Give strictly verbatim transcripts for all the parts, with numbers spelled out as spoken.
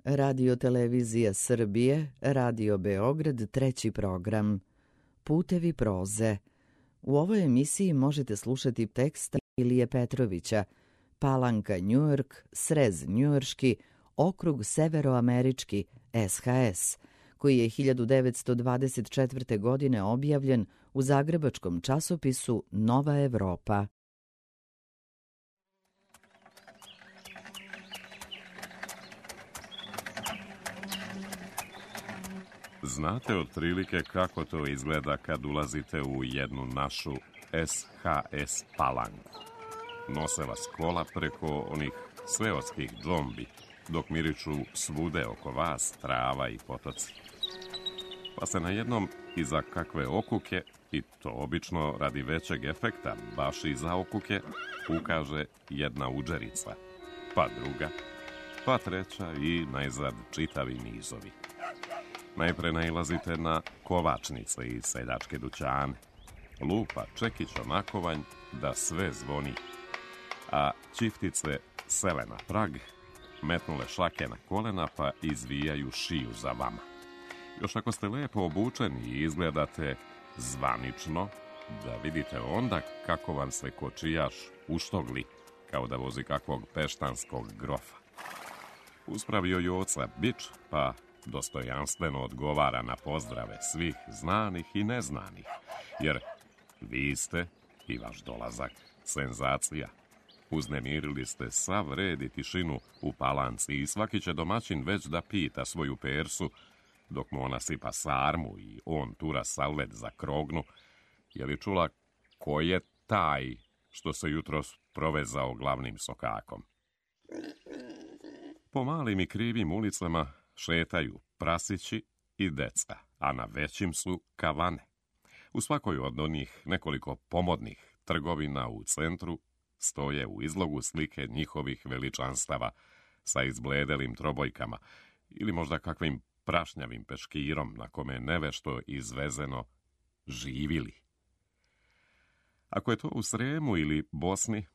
Radio Televizija Srbije, Radio Beograd, treći program. Putevi proze. U ovoj emisiji možete slušati tekst Ilije Petrovića, Palanka Njujork, Srez njujorški, okrug Severoamerički, S H S, koji je hiljadu devetsto dvadeset četvrte. godine objavljen u zagrebačkom časopisu Nova Evropa. Znate otprilike kako to izgleda kad ulazite u jednu našu S H S Palanku. Nose vas kola preko onih sveotskih džombi, dok miriču svude oko vas trava i potoci. Pa se na jednom iza kakve okuke, i to obično radi većeg efekta, baš iza okuke, ukaže jedna udžerica, pa druga, pa treća i najzad čitavi nizovi. Najpre nailazite na kovačnice i seljačke dućane. Lupa čekić onakovanj da sve zvoni, a ćiftice sele na prag, metnule šake na kolena pa izvijaju šiju za vama. Još ako ste lepo obučeni i izgledate zvanično, da vidite onda kako vam se kočijaš uštogli, kao da vozi kakvog peštanskog grofa. Uspravio Joca bič, pa dostojanstveno odgovara na pozdrave svih znanih i neznanih, jer vi ste i vaš dolazak senzacija. Uznemirili ste sav red i tišinu u Palanci i svaki će domaćin već da pita svoju persu, dok mu ona sipa sarmu i on tura salvet za krognu, je li čula ko je taj što se jutros provezao glavnim sokakom. Po malim i krivim ulicama šetaju prasići i deca, a na većim su kavane. U svakoj od onih nekoliko pomodnih trgovina u centru stoje u izlogu slike njihovih veličanstava sa izbledelim trobojkama ili možda kakvim prašnjavim peškirom na kome nevešto izvezeno živili. Ako je to u Sremu ili Bosni,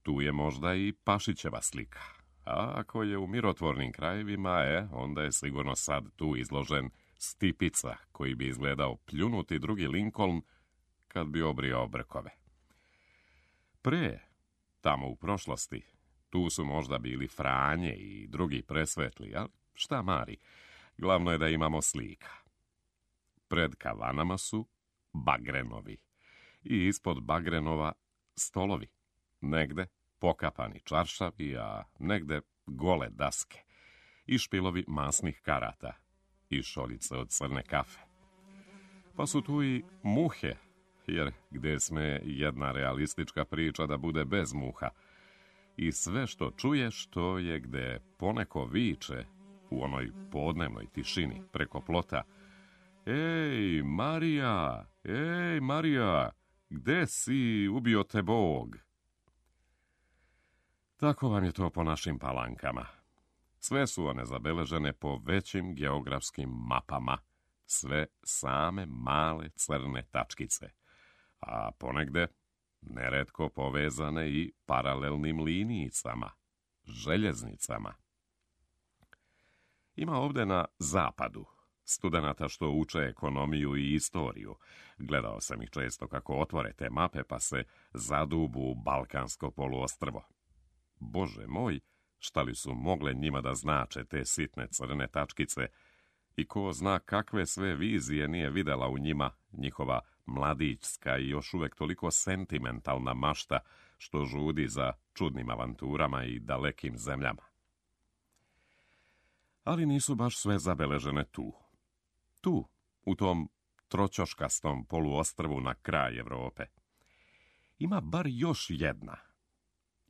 tu je možda i Pašićeva slika. A ako je u mirotvornim krajevima, e, onda je sigurno sad tu izložen Stipica, koji bi izgledao pljunuti drugi Lincoln kad bi obrijao brkove. Pre, tamo u prošlosti, tu su možda bili Franje i drugi presvetli, ali šta mari, glavno je da imamo slika. Pred kavanama su bagrenovi i ispod bagrenova stolovi, negde pokapani čaršavi, a negde gole daske i špilovi masnih karata i šoljice od crne kafe. Pa su tu i muhe, jer gde sme jedna realistička priča da bude bez muha. I sve što čuješ, to je gde poneko viče u onoj podnevnoj tišini preko plota: Ej, Marija, ej, Marija, gde si, ubio te Bog? Tako vam je to po našim Palankama. Sve su one zabeležene po većim geografskim mapama, sve same male crne tačkice, a ponegde neretko povezane i paralelnim linijicama, željeznicama. Ima ovde na zapadu studenata što uče ekonomiju i istoriju. Gledao sam ih često kako otvore te mape pa se zadubu u Balkansko poluostrvo. Bože moj, šta li su mogle njima da znače te sitne crne tačkice i ko zna kakve sve vizije nije videla u njima njihova mladićska i još uvek toliko sentimentalna mašta što žudi za čudnim avanturama i dalekim zemljama. Ali nisu baš sve zabeležene tu. Tu, u tom troćoškastom poluostrvu na kraj Evrope, ima bar još jedna.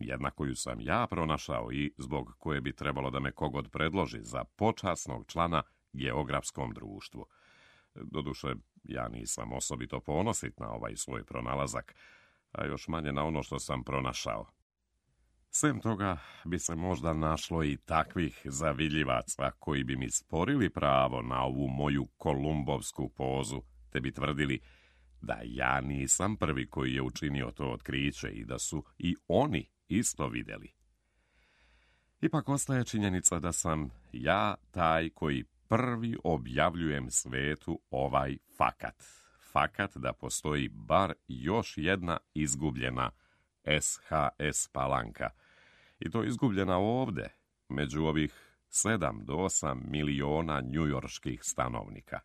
Jedna koju sam ja pronašao i zbog koje bi trebalo da me kogod predloži za počasnog člana geografskom društvu. Doduše, ja nisam osobito ponosit na ovaj svoj pronalazak, a još manje na ono što sam pronašao. Sem toga bi se možda našlo i takvih zaviljivaca koji bi mi sporili pravo na ovu moju kolumbovsku pozu, te bi tvrdili da ja nisam prvi koji je učinio to otkriće i da su i oni isto videli. Ipak ostaje činjenica da sam ja taj koji prvi objavljujem svetu ovaj fakat. Fakat da postoji bar još jedna izgubljena S H S Palanka. I to izgubljena ovde, među ovih sedam do osam miliona njujorških stanovnika.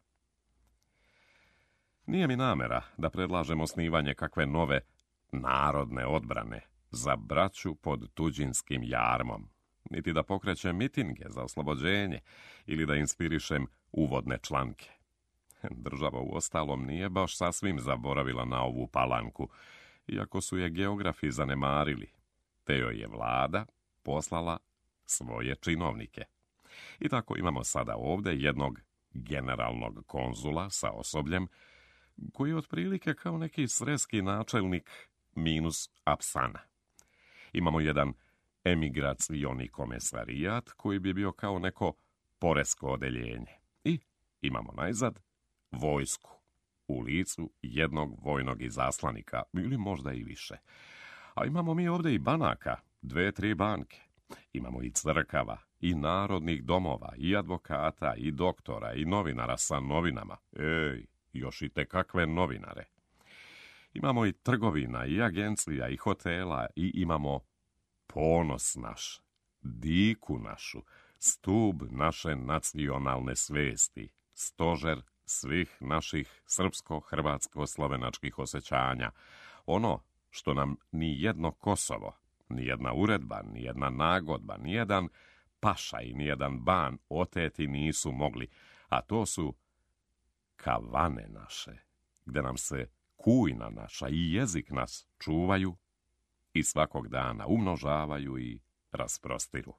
Nije mi namera da predlažem osnivanje kakve nove narodne odbrane za braću pod tuđinskim jarmom, niti da pokrećem mitinge za oslobođenje ili da inspirišem uvodne članke. Država u ostalom nije baš sasvim zaboravila na ovu Palanku, iako su je geografi zanemarili, te joj je vlada poslala svoje činovnike. I tako imamo sada ovde jednog generalnog konzula sa osobljem, koji je otprilike kao neki sreski načelnik minus apsana. Imamo jedan emigracioni komesarijat koji bi bio kao neko poresko odeljenje. I imamo najzad vojsku u licu jednog vojnog izaslanika, ili možda i više. A imamo mi ovde i banaka, dve, tri banke. Imamo i crkava, i narodnih domova, i advokata, i doktora, i novinara sa novinama. Ej, još i te kakve novinare. Imamo i trgovina, i agencija, i hotela, i imamo ponos naš, diku našu, stub naše nacionalne svesti, stožer svih naših srpsko-hrvatsko-slovenačkih osjećanja, ono što nam ni jedno Kosovo, ni jedna uredba, ni jedna nagodba, ni jedan pašaj, ni jedan ban oteti nisu mogli, a to su kavane naše, gde nam se kujna naša i jezik nas čuvaju i svakog dana umnožavaju i rasprostiru.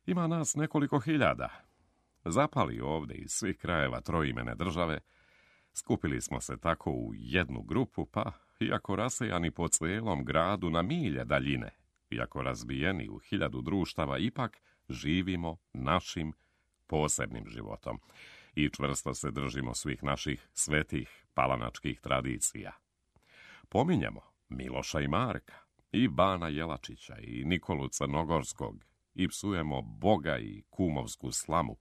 Ima nas nekoliko hiljada. Zapali ovde iz svih krajeva troimene države, skupili smo se tako u jednu grupu, pa, iako rasejani po cijelom gradu na milje daljine, iako razbijeni u hiljadu društava, ipak živimo našim posebnim životom i čvrsto se držimo svih naših svetih palanačkih tradicija. Pominjemo Miloša i Marka, i Bana Jelačića, i Nikolu Crnogorskog, i psujemo Boga i kumovsku slamu,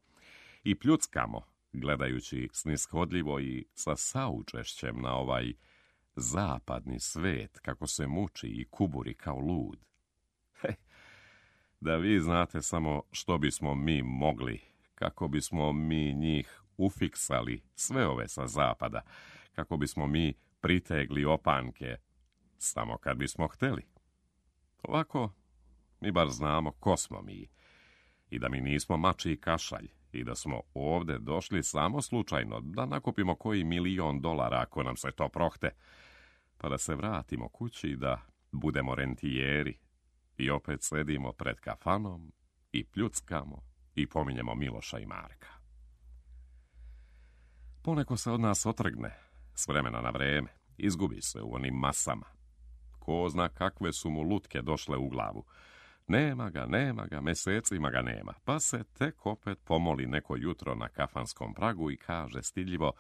i pljuckamo, gledajući snishodljivo i sa saučešćem na ovaj zapadni svet, kako se muči i kuburi kao lud. He, da vi znate samo što bismo mi mogli, kako bismo mi njih ufiksali, sve ove sa zapada, kako bismo mi pritegli opanke, samo kad bismo hteli. Ovako, mi bar znamo ko smo mi, i da mi nismo mači i kašalj, i da smo ovde došli samo slučajno da nakupimo koji milion dolara ako nam se to prohte, pa da se vratimo kući i da budemo rentijeri i opet sedimo pred kafanom i pljuckamo i pominjemo Miloša i Marka. Poneko se od nas otrgne s vremena na vreme, izgubi se u onim masama. Ko zna kakve su mu lutke došle u glavu. Nema ga, nema ga, mesecima ga nema, pa se tek opet pomoli neko jutro na kafanskom pragu i kaže stidljivo: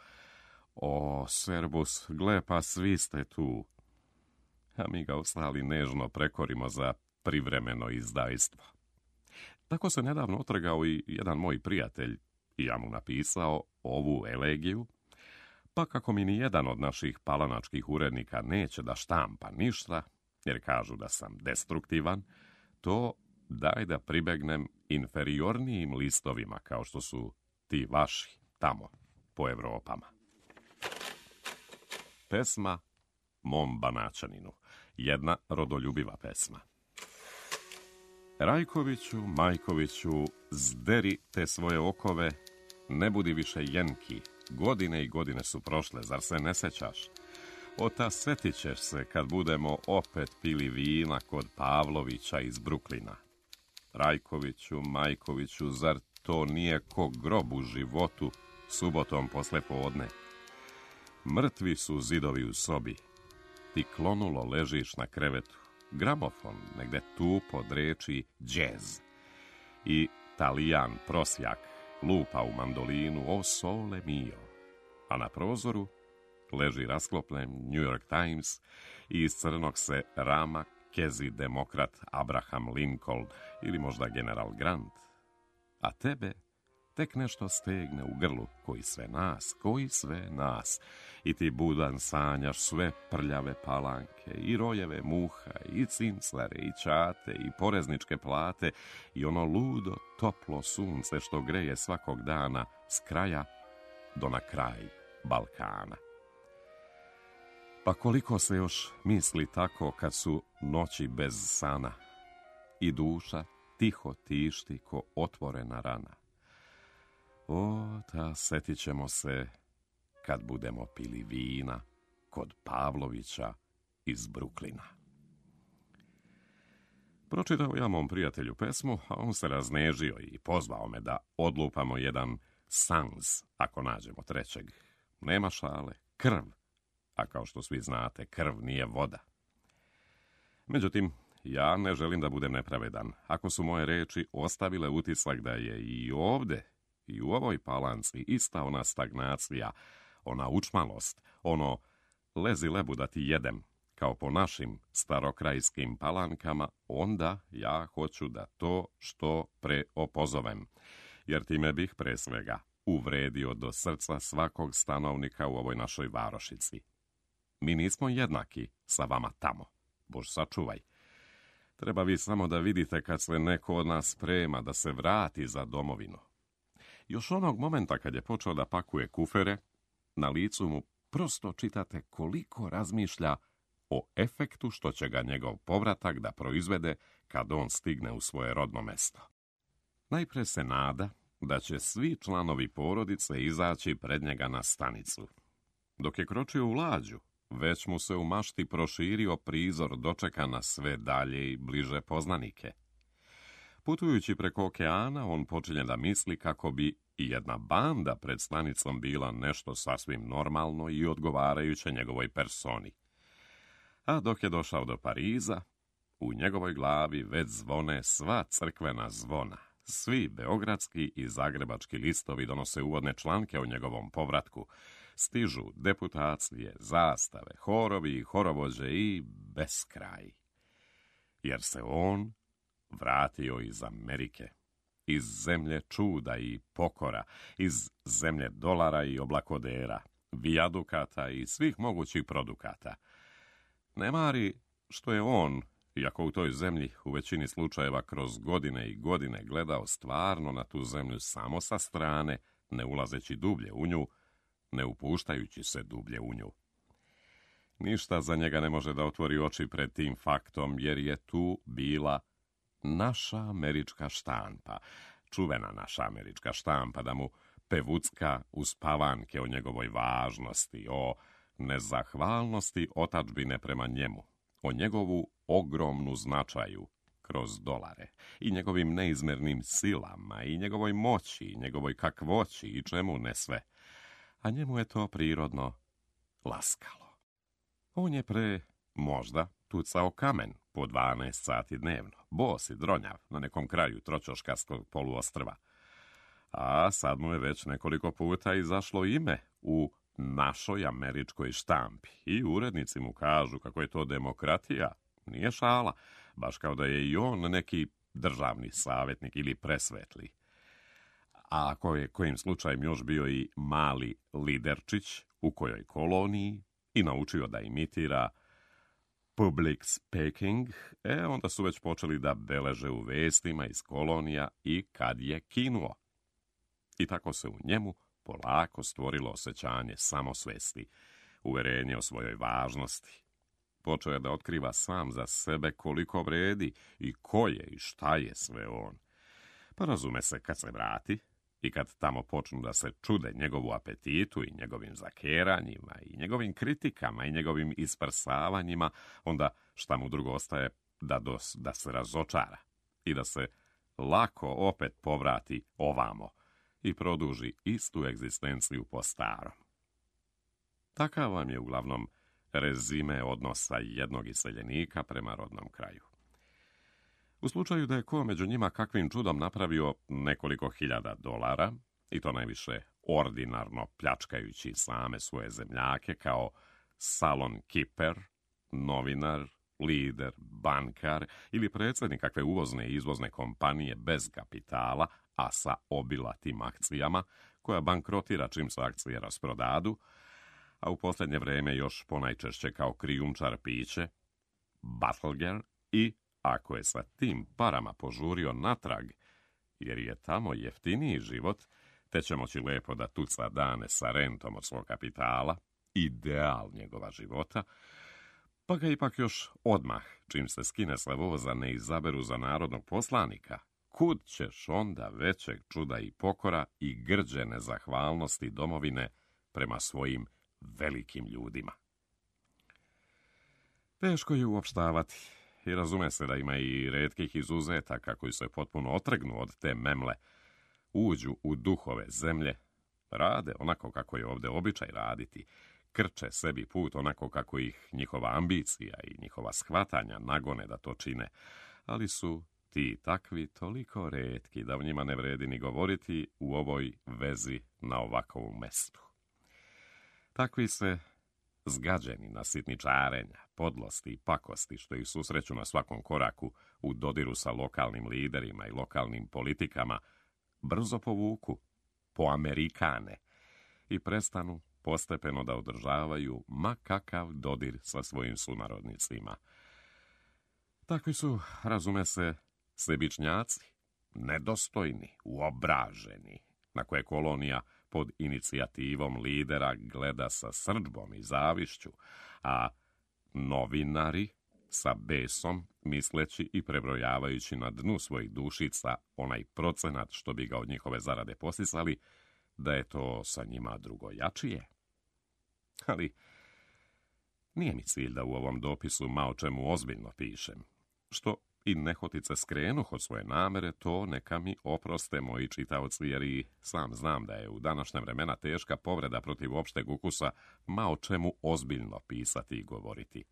o, Serbus, gle, pa svi ste tu. A mi ga ostali nežno prekorimo za privremeno izdajstvo. Tako se nedavno otrgao i jedan moj prijatelj, i ja mu napisao ovu elegiju, pa kako mi ni jedan od naših palanačkih urednika neće da štampa ništa, jer kažu da sam destruktivan, to daj da pribegnem inferiornijim listovima, kao što su ti vaši tamo po Evropama. Pesma mom Banaćaninu, jedna rodoljubiva pesma. Rajkoviću, Majkoviću, zderi te svoje okove, ne budi više jenki, godine i godine su prošle, zar se ne sećaš? Ota setit ćeš se kad budemo opet pili vina kod Pavlovića iz Bruklina. Rajkoviću, Majkoviću, zar to nije ko grob u životu subotom posle podne? Mrtvi su zidovi u sobi, ti klonulo ležiš na krevetu, gramofon negde tupo dreči džez i Talijan prosjak lupa u mandolinu o sole mio, a na prozoru leži rasklopljen New York Times i iz crnog se rama kezi demokrat Abraham Lincoln ili možda general Grant. A tebe tek nešto stegne u grlu, koji sve nas, koji sve nas. I ti budan sanjaš sve prljave palanke, i rojeve muha, i cinclare, i čate, i porezničke plate, i ono ludo, toplo sunce što greje svakog dana s kraja do na kraj Balkana. Pa koliko se još misli tako kad su noći bez sana i duša tiho tišti ko otvorena rana. O, ta setit ćemo se kad budemo pili vina kod Pavlovića iz Bruklina. Pročitao ja mom prijatelju pesmu, a on se raznežio i pozvao me da odlupamo jedan sans, ako nađemo trećeg. Nema šale, krv, a kao što svi znate, krv nije voda. Međutim, ja ne želim da budem nepravedan. Ako su moje reči ostavile utisak da je i ovde, i u ovoj Palanci ista ona stagnacija, ona učmalost, ono lezi lebu da ti jedem, kao po našim starokrajskim Palankama, onda ja hoću da to što pre opozovem, jer time bih pre svega uvredio do srca svakog stanovnika u ovoj našoj varošici. Mi nismo jednaki sa vama tamo, Bož sačuvaj. Treba vi samo da vidite kad se neko od nas sprema da se vrati za domovinu. Još onog momenta kad je počeo da pakuje kufere, na licu mu prosto čitate koliko razmišlja o efektu što će ga njegov povratak da proizvede kad on stigne u svoje rodno mesto. Najpre se nada da će svi članovi porodice izaći pred njega na stanicu. Dok je kročio u lađu, već mu se u mašti proširio prizor dočeka na sve dalje i bliže poznanike. Putujući preko okeana, on počinje da misli kako bi i jedna banda pred stanicom bila nešto sasvim normalno i odgovarajuće njegovoj personi. A dok je došao do Pariza, u njegovoj glavi već zvone sva crkvena zvona. Svi beogradski i zagrebački listovi donose uvodne članke o njegovom povratku. Stižu deputacije, zastave, horovi i horovođe i beskraj. Jer se on vratio iz Amerike, iz zemlje čuda i pokora, iz zemlje dolara i oblakodera, vijadukata i svih mogućih produkata. Ne mari što je on, iako u toj zemlji u većini slučajeva kroz godine i godine gledao stvarno na tu zemlju samo sa strane, ne ulazeći dublje u nju, ne upuštajući se dublje u nju. Ništa za njega ne može da otvori oči pred tim faktom, jer je tu bila naša američka štampa, čuvena naša američka štampa, da mu pevucka uspavanke o njegovoj važnosti, o nezahvalnosti otadžbine prema njemu, o njegovu ogromnu značaju kroz dolare i njegovim neizmernim silama i njegovoj moći i njegovoj kakvoći i čemu ne sve. A njemu je to prirodno laskalo. On je pre, možda, tucao kamen po dvanaest sati dnevno, bos i dronjav na nekom kraju tročoškarskog poluostrva. A sad mu je već nekoliko puta izašlo ime u našoj američkoj štampi i urednici mu kažu kako je to demokratija. Nije šala, baš kao da je i on neki državni savjetnik ili presvetli. A ako je kojim slučajem još bio i mali liderčić u kojoj koloniji i naučio da imitira public speaking, e, onda su već počeli da beleže u vestima iz kolonija i kad je kinuo. I tako se u njemu polako stvorilo osjećanje samosvesti, uverenje o svojoj važnosti. Počeo je da otkriva sam za sebe koliko vredi i ko je i šta je sve on. Pa razume se, kad se vrati i kad tamo počnu da se čude njegovu apetitu i njegovim zakeranjima i njegovim kritikama i njegovim isprsavanjima, onda šta mu drugo ostaje da, dos, da se razočara i da se lako opet povrati ovamo i produži istu egzistenciju po starom. Takav vam je uglavnom rezime odnosa jednog iseljenika prema rodnom kraju. U slučaju da je ko među njima kakvim čudom napravio nekoliko hiljada dolara, i to najviše ordinarno pljačkajući same svoje zemljake kao salon kiper, novinar, lider, bankar ili predsjednik kakve uvozne i izvozne kompanije bez kapitala, a sa obilatim akcijama, koja bankrotira čim se akcije rasprodadu, a u posljednje vrijeme još ponajčešće kao krijumčar piće, Battleger i, ako je sa tim parama požurio natrag, jer je tamo jeftiniji život, te će moći lijepo da tuca dane sa rentom od svog kapitala, ideal njegova života, pa ga ipak još odmah, čim se skine sa voza, ne izaberu za narodnog poslanika, kud ćeš onda većeg čuda i pokora i grđe nezahvalnosti domovine prema svojim velikim ljudima. Teško je uopštavati i razume se da ima i retkih izuzetaka koji se potpuno otrgnu od te memle, uđu u duhove zemlje, rade onako kako je ovdje običaj raditi, krče sebi put onako kako ih njihova ambicija i njihova shvatanja nagone da to čine, ali su ti takvi toliko retki da o njima ne vredi ni govoriti u ovoj vezi na ovakvom mestu. Takvi se zgađeni na sitničarenja, podlosti i pakosti što ih susreću na svakom koraku u dodiru sa lokalnim liderima i lokalnim politikama, brzo povuku po Amerikane i prestanu postepeno da održavaju ma kakav dodir sa svojim sunarodnicima. Takvi su, razume se, sebičnjaci, nedostojni, uobraženi, na koje kolonija pod inicijativom lidera gleda sa srdžbom i zavišću, a novinari sa besom, misleći i prebrojavajući na dnu svojih dušica onaj procenat što bi ga od njihove zarade posisali, da je to sa njima drugojačije. Ali nije mi cilj da u ovom dopisu ma o čemu ozbiljno pišem. Što i nehotice skrenuh od svoje namere, to neka mi oproste moji čitaoci, jer i sam znam da je u današnja vremena teška povreda protiv opšteg ukusa ma o čemu ozbiljno pisati i govoriti.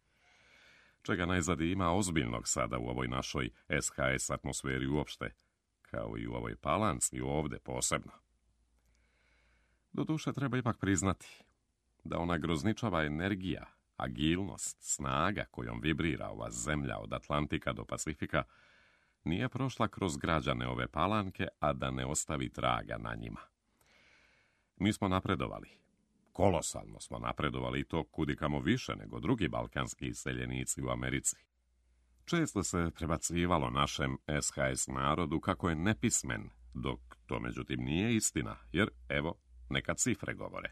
Čega najzad ima ozbiljnog sada u ovoj našoj es ha es atmosferi uopšte, kao i u ovoj Palanci ovdje posebno. Doduše treba ipak priznati da ona grozničava energija, agilnost, snaga kojom vibrira ova zemlja od Atlantika do Pacifika nije prošla kroz građane ove Palanke, a da ne ostavi traga na njima. Mi smo napredovali. Kolosalno smo napredovali i to kudikamo više nego drugi balkanski iseljenici u Americi. Često se prebacivalo našem es ha es narodu kako je nepismen, dok to međutim nije istina, jer evo, neka cifre govore.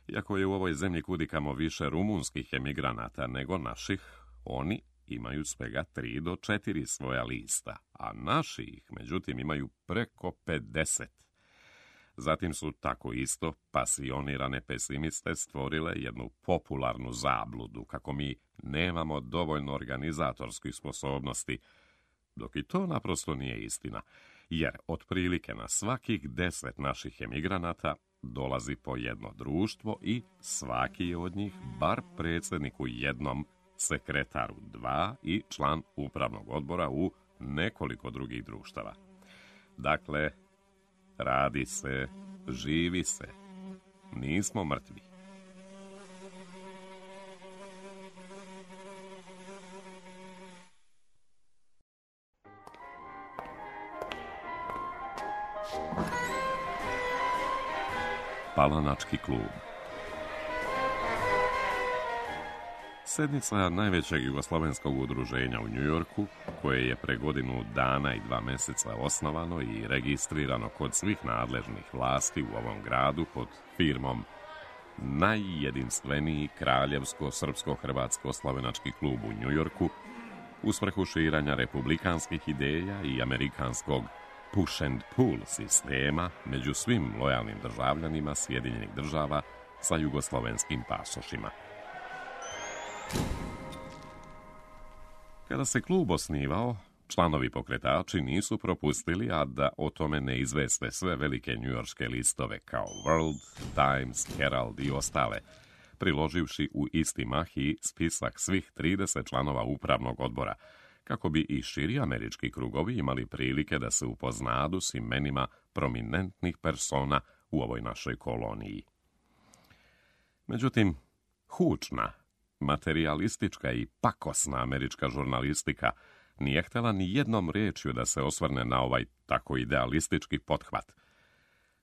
Iako je u ovoj zemlji kudikamo više rumunskih emigranata nego naših, oni imaju svega tri do četiri svoja lista, a naši ih međutim imaju preko pedeset. Zatim su tako isto pasionirane pesimiste stvorile jednu popularnu zabludu kako mi nemamo dovoljno organizatorskih sposobnosti, dok i to naprosto nije istina, jer otprilike na svakih deset naših emigranata dolazi po jedno društvo i svaki je od njih bar predsjednik u jednom, sekretar u dva i član upravnog odbora u nekoliko drugih društava. Dakle, radi se, živi se, nismo mrtvi. Palanački klub. Sednica najvećeg jugoslovenskog udruženja u Njujorku, koje je pre godinu dana i dva mjeseca osnovano i registrirano kod svih nadležnih vlasti u ovom gradu pod firmom najjedinstveniji kraljevsko-srpsko-hrvatsko-slovenački klub u Njujorku, u svrhu širanja republikanskih ideja i amerikanskog push and pull sistema među svim lojalnim državljanima Sjedinjenih država sa jugoslovenskim pasošima. Kada se klub osnivao, članovi pokretači nisu propustili, a da o tome ne izveste sve velike njujorške listove kao World, Times, Herald i ostale, priloživši u isti mah i spisak svih trideset članova upravnog odbora, kako bi i širi američki krugovi imali prilike da se upoznadu s imenima prominentnih persona u ovoj našoj koloniji. Međutim, hučna, materialistička i pakosna američka žurnalistika nije htjela ni jednom riječju da se osvrne na ovaj tako idealistički pothvat.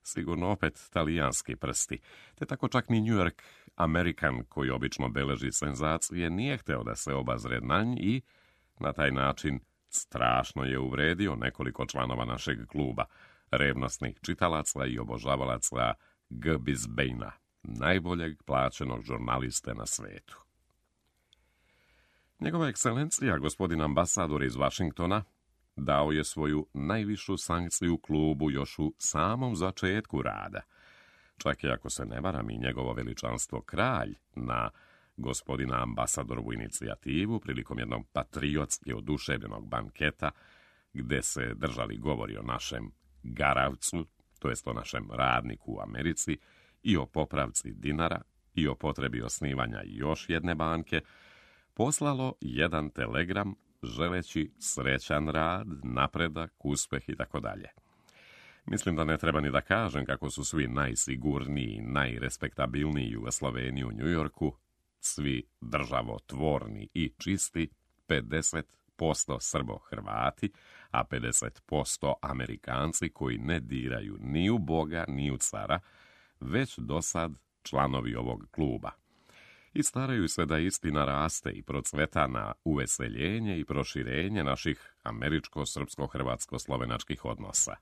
Sigurno opet talijanski prsti, te tako čak ni New York American, koji obično beleži senzacije, nije htio da se obazre na nj i na taj način strašno je uvredio nekoliko članova našeg kluba, revnosnih čitalaca i obožavalaca G. Bisbejna, najboljeg plaćenog žurnaliste na svetu. Njegova ekscelencija, gospodin ambasador iz Vašingtona, dao je svoju najvišu sankciju klubu još u samom začetku rada. Čak i ako se ne varam i njegovo veličanstvo kralj na gospodina ambasadorovu inicijativu prilikom jednog patriotski oduševljenog banketa gde se držali govori o našem garavcu, to jest o našem radniku u Americi, i o popravci dinara i o potrebi osnivanja još jedne banke, poslalo jedan telegram želeći srećan rad, napredak, uspeh i tako dalje. Mislim da ne treba ni da kažem kako su svi najsigurniji, najrespektabilniji Jugosloveni u Njujorku, svi državotvorni i čisti, pedeset posto Srbo-Hrvati, a pedeset posto Amerikanci koji ne diraju ni u Boga, ni u cara, već do sad članovi ovog kluba. I staraju se da istina raste i procveta na uveseljenje i proširenje naših američko-srpsko-hrvatsko-slovenačkih odnosa.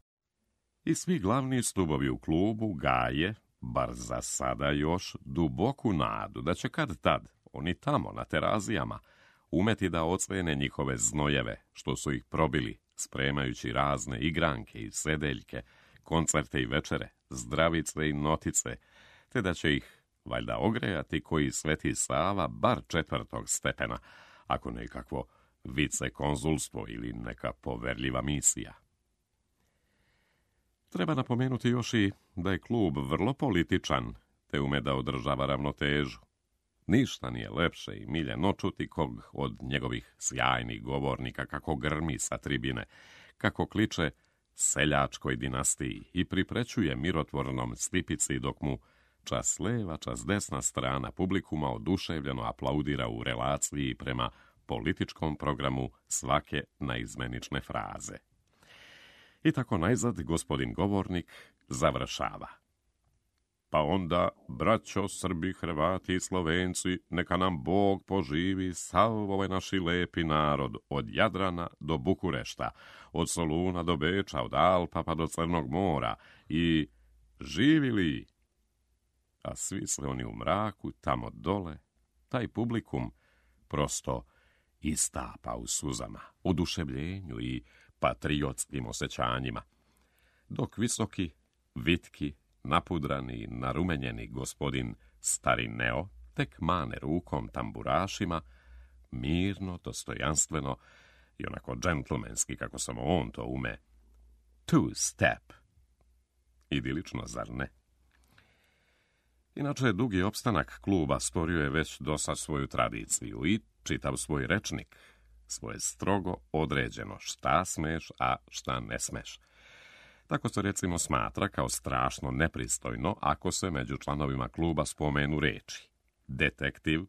I svi glavni stubovi u klubu gaje, bar za sada još, duboku nadu da će kad tad, oni tamo na terazijama, umeti da ocvene njihove znojeve, što su ih probili, spremajući razne igranke i sedeljke, koncerte i večere, zdravice i notice, te da će ih valjda ogrejati koji Sveti Sava bar četvrtog stepena, ako nekakvo vicekonzulstvo ili neka poverljiva misija. Treba napomenuti još i da je klub vrlo političan, te ume da održava ravnotežu. Ništa nije lepše i miljeno čuti kog od njegovih sjajnih govornika kako grmi sa tribine, kako kliče seljačkoj dinastiji i priprećuje mirotvornom stipici dok mu čas leva, čas desna strana publikuma oduševljeno aplaudira u relaciji prema političkom programu svake naizmenične fraze. I tako najzad gospodin govornik završava. Pa onda, braćo Srbi, Hrvati i Slovenci, neka nam Bog poživi sav ovaj naši lepi narod, od Jadrana do Bukurešta, od Soluna do Beča, od Alpa pa do Crnog mora, i živili. A svi se oni u mraku, tamo dole, taj publikum prosto istapa u suzama, oduševljenju i patriotskim osjećanjima, dok visoki, vitki, napudrani i narumenjeni gospodin stari Neo tek mane rukom tamburašima, mirno, dostojanstveno i onako džentlmenski, kako samo on to ume, two step. Idilično, zar ne? Inače, dugi opstanak kluba stvorio je već dosad svoju tradiciju i čitav svoj rečnik, svoje strogo određeno šta smeš, a šta ne smeš. Tako se recimo smatra kao strašno nepristojno ako se među članovima kluba spomenu reči detektiv,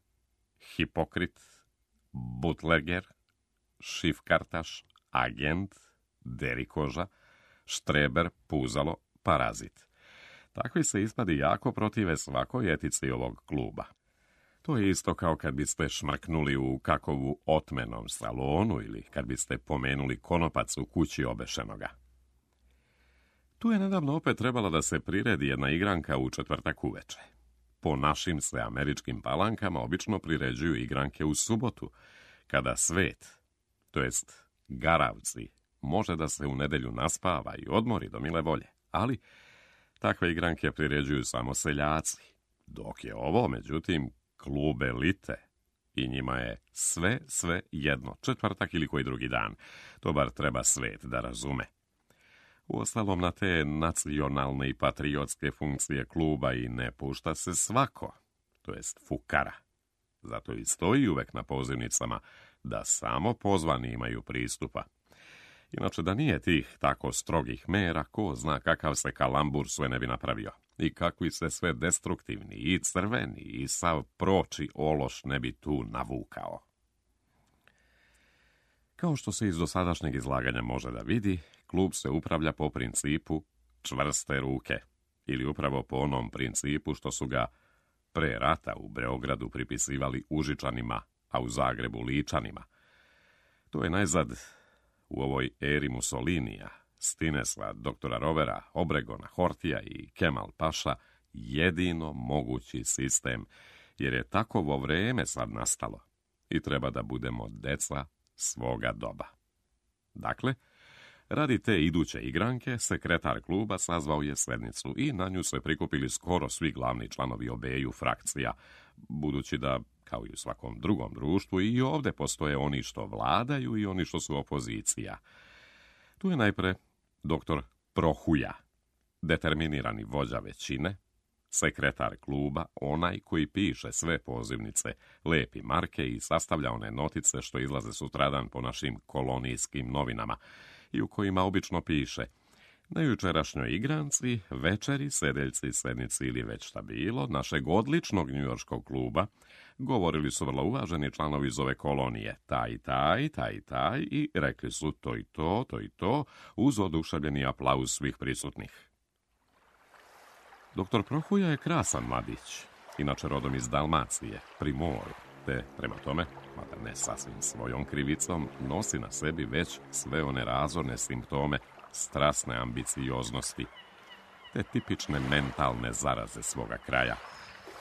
hipokrit, butleger, šifkartaš, agent, derikoža, štreber, puzalo, parazit. Takvi se ispadi jako protive svakoj etici ovog kluba. To je isto kao kad biste šmrknuli u kakovu otmenom salonu ili kad biste pomenuli konopac u kući obešenoga. Tu je nedavno opet trebala da se priredi jedna igranka u četvrtak uveče. Po našim se američkim palankama obično priređuju igranke u subotu, kada svet, to jest garavci, može da se u nedelju naspava i odmori do mile volje, ali takve igranke priređuju samo seljaci, dok je ovo, međutim, klub elite i njima je sve, sve jedno, četvrtak ili koji drugi dan. To bar treba svet da razume. Uostalom, na te nacionalne i patriotske funkcije kluba i ne pušta se svako, to jest fukara. Zato i stoji uvek na pozivnicama da samo pozvani imaju pristupa. Inače, da nije tih tako strogih mera, ko zna kakav se kalambur sve ne bi napravio. I kakvi se sve destruktivni, i crveni, i sav proči ološ ne bi tu navukao. Kao što se iz dosadašnjeg izlaganja može da vidi, klub se upravlja po principu čvrste ruke, ili upravo po onom principu što su ga pre rata u Beogradu pripisivali Užičanima, a u Zagrebu Ličanima. To je najzad u ovoj eri Mussolinija, Stinesla, doktora Rovera, Obregona, Hortija i Kemal Paša jedino mogući sistem, jer je takovo vreme sad nastalo i treba da budemo deca svoga doba. Dakle, radi te iduće igranke, sekretar kluba sazvao je sednicu i na nju se prikupili skoro svi glavni članovi obeju frakcija, budući da, kao i u svakom drugom društvu, i ovde postoje oni što vladaju i oni što su opozicija. Tu je najpre doktor Prohuja, determinirani vođa većine, sekretar kluba, onaj koji piše sve pozivnice, lepi marke i sastavlja one notice što izlaze sutradan po našim kolonijskim novinama i u kojima obično piše: na jučerašnjoj igranci, večeri, sedeljci, sednici ili već šta bilo, našeg odličnog njujorškog kluba, govorili su vrlo uvaženi članovi iz ove kolonije, taj i taj, taj i taj, i rekli su to i to, to i to, uz oduševljeni aplauz svih prisutnih. Doktor Prohuja je krasan mladić, inače rodom iz Dalmacije, pri moru, te, prema tome, mada ne sasvim svojom krivicom, nosi na sebi već sve one razorne simptome strasne ambicioznosti, te tipične mentalne zaraze svoga kraja,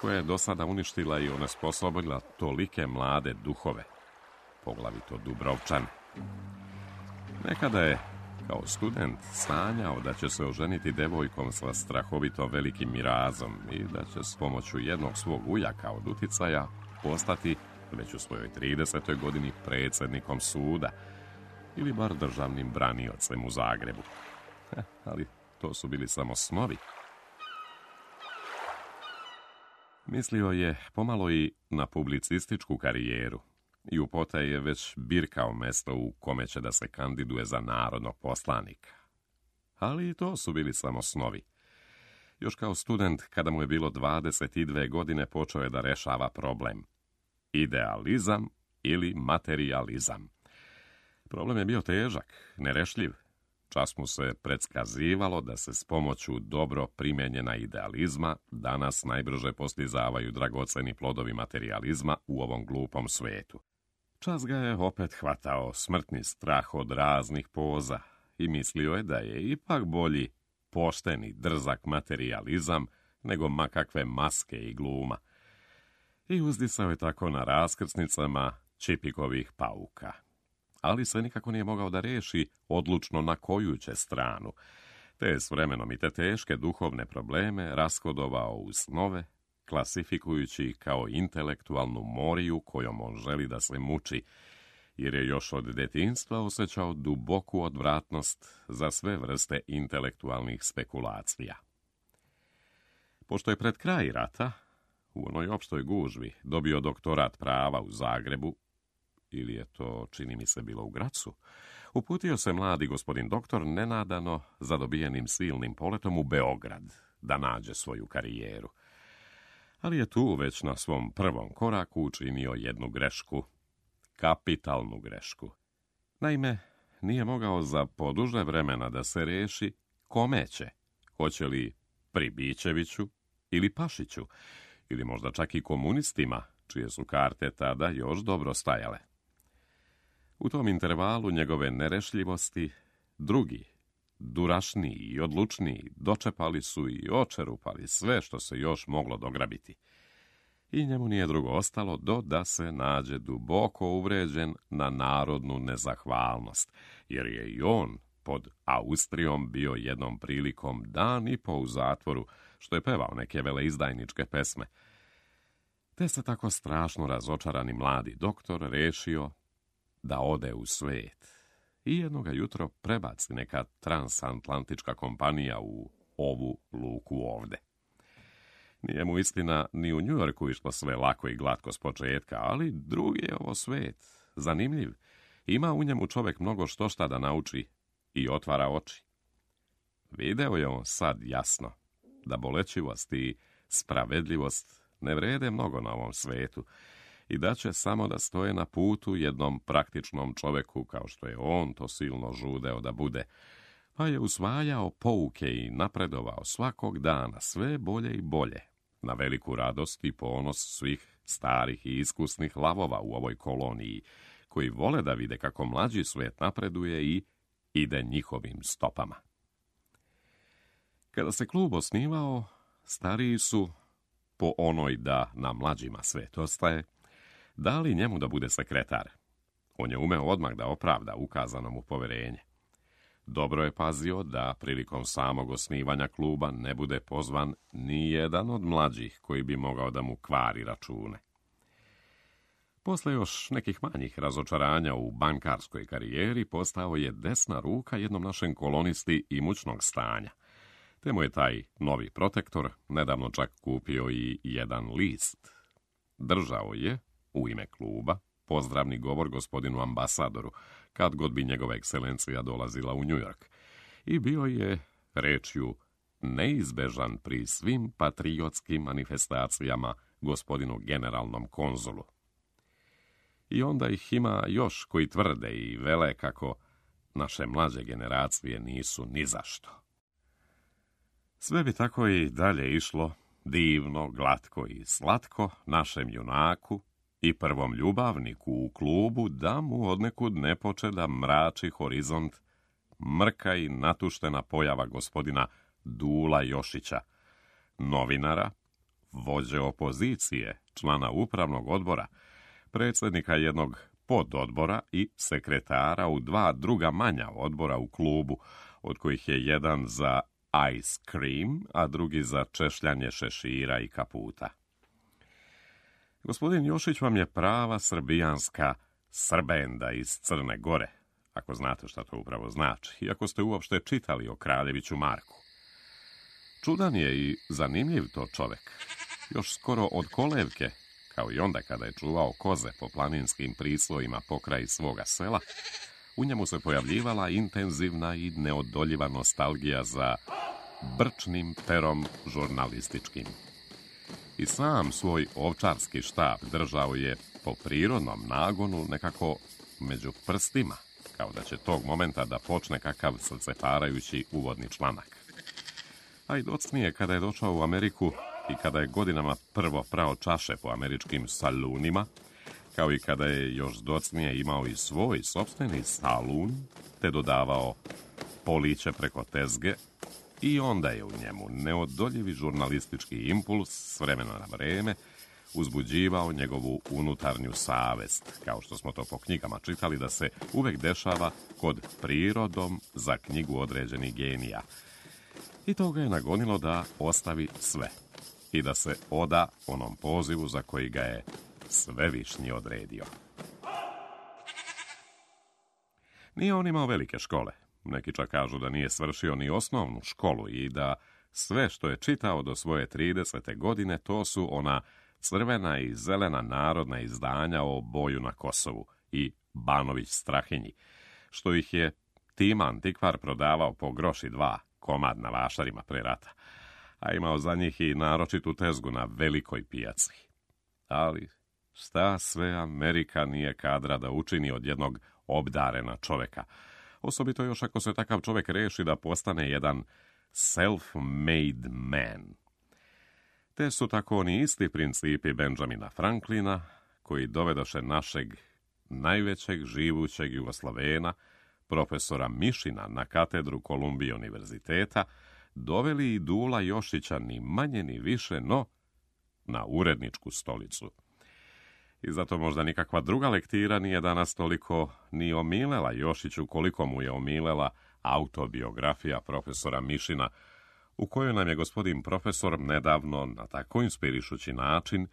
koja je do sada uništila i onesposobila tolike mlade duhove, poglavito Dubrovčane. Nekada je, kao student, sanjao da će se oženiti devojkom sa strahovito velikim mirazom i da će s pomoću jednog svog ujaka od uticaja postati, već u svojoj tridesetoj godini, predsjednikom suda, ili bar državnim braniocem u Zagrebu. Heh, ali to su bili samo snovi. Mislio je pomalo i na publicističku karijeru i u potaj je već birkao mesto u kome će da se kandiduje za narodnog poslanika. Ali i to su bili samo snovi. Još kao student, kada mu je bilo dvadeset dve godine, počeo je da rešava problem: idealizam ili materijalizam. Problem je bio težak, nerešljiv. Čas mu se predskazivalo da se s pomoću dobro primenjena idealizma danas najbrže postizavaju dragoceni plodovi materijalizma u ovom glupom svetu. Čas ga je opet hvatao smrtni strah od raznih poza i mislio je da je ipak bolji pošteni, drzak materijalizam nego makakve maske i gluma. I uzdisao je tako na raskrsnicama Čipikovih pauka. Ali se nikako nije mogao da reši odlučno na koju će stranu, te je s vremenom i te teške duhovne probleme raskodovao u snove, klasifikujući ih kao intelektualnu moriju kojom on želi da se muči, jer je još od detinjstva osjećao duboku odvratnost za sve vrste intelektualnih spekulacija. Pošto je pred kraj rata, u onoj opštoj gužvi, dobio doktorat prava u Zagrebu, ili je to, čini mi se, bilo u Gracu, uputio se mladi gospodin doktor nenadano za dobijenim silnim poletom u Beograd da nađe svoju karijeru. Ali je tu već na svom prvom koraku učinio jednu grešku, kapitalnu grešku. Naime, nije mogao za poduže vremena da se reši kome će, hoće li Pribićeviću ili Pašiću, ili možda čak i komunistima, čije su karte tada još dobro stajale. U tom intervalu njegove nerešljivosti drugi, durašniji i odlučniji, dočepali su i očerupali sve što se još moglo dograbiti. I njemu nije drugo ostalo do da se nađe duboko uvređen na narodnu nezahvalnost, jer je i on pod Austrijom bio jednom prilikom dan i po u zatvoru, što je pevao neke veleizdajničke pesme. Te se tako strašno razočarani mladi doktor rešio da ode u svet i jednoga jutro prebaci neka transatlantička kompanija u ovu luku ovde. Nije mu istina ni u Njujorku išlo sve lako i glatko s početka, ali drugi je ovo svet, zanimljiv. Ima u njemu čovek mnogo što šta da nauči i otvara oči. Video je on sad jasno da bolećivost i spravedljivost ne vrede mnogo na ovom svetu i da će samo da stoje na putu jednom praktičnom čoveku kao što je on to silno žudeo da bude, pa je usvajao pouke i napredovao svakog dana sve bolje i bolje, na veliku radost i ponos svih starih i iskusnih lavova u ovoj koloniji, koji vole da vide kako mlađi svet napreduje i ide njihovim stopama. Kada se klub osnivao, stariji su, po onoj da na mlađima svet ostaje, dali njemu da bude sekretar. On je umeo odmah da opravda ukazano mu poverenje. Dobro je pazio da prilikom samog osnivanja kluba ne bude pozvan ni jedan od mlađih koji bi mogao da mu kvari račune. Posle još nekih manjih razočaranja u bankarskoj karijeri postao je desna ruka jednom našem kolonisti imućnog stanja, te mu je taj novi protektor nedavno čak kupio i jedan list. Držao je, u ime kluba, pozdravni govor gospodinu ambasadoru, kad god bi njegova ekscelencija dolazila u New York, i bio je, rečju, neizbežan pri svim patriotskim manifestacijama gospodinu generalnom konzulu. I onda ih ima još koji tvrde i vele kako naše mlađe generacije nisu ni zašto. Sve bi tako i dalje išlo, divno, glatko i slatko, našem junaku i prvom ljubavniku u klubu da mu odnekud ne poče da mrači horizont mrka i natuštena pojava gospodina Dula Jošića, novinara, vođe opozicije, člana upravnog odbora, predsjednika jednog pododbora i sekretara u dva druga manja odbora u klubu, od kojih je jedan za ice cream, a drugi za češljanje šešira i kaputa. Gospodin Jošić vam je prava srbijanska Srbenda iz Crne Gore, ako znate šta to upravo znači, i ako ste uopšte čitali o Kraljeviću Marku. Čudan je i zanimljiv to čovek. Još skoro od kolevke, kao i onda kada je čuvao koze po planinskim prislojima pokraj svoga sela, u njemu se pojavljivala intenzivna i neodoljiva nostalgija za brčnim perom žurnalističkim. I sam svoj ovčarski štab držao je po prirodnom nagonu nekako među prstima, kao da će tog momenta da počne kakav srceparajući uvodni članak. A i docnije kada je došao u Ameriku i kada je godinama prvo prao čaše po američkim salunima, kao i kada je još docnije imao i svoj sopstveni salun, te dodavao poliće preko tezge, i onda je u njemu neodoljivi žurnalistički impuls s vremena na vreme uzbuđivao njegovu unutarnju savest, kao što smo to po knjigama čitali da se uvek dešava kod prirodom za knjigu određenih genija. I to ga je nagonilo da ostavi sve i da se oda onom pozivu za koji ga je Svevišnji odredio. Nije on imao velike škole. Neki čak kažu da nije svršio ni osnovnu školu i da sve što je čitao do svoje tridesete godine to su ona crvena i zelena narodna izdanja o boju na Kosovu i Banović Strahinji, što ih je Tima Antikvar prodavao po groši dva komad na vašarima pre rata, a imao za njih i naročitu tezgu na velikoj pijaci. Ali šta sve Amerika nije kadra da učini od jednog obdarena čoveka, osobito još ako se takav čovek reši da postane jedan self-made man. Te su tako oni isti principi Benjamina Franklina, koji dovedoše našeg najvećeg živućeg Jugoslovena, profesora Mišina, na katedru Kolumbije univerziteta, doveli i Dula Jošića ni manje ni više, no na uredničku stolicu. I zato možda nikakva druga lektira nije danas toliko ni omilela Jošiću koliko mu je omilela autobiografija profesora Mišina, u kojoj nam je gospodin profesor nedavno na tako inspirišući način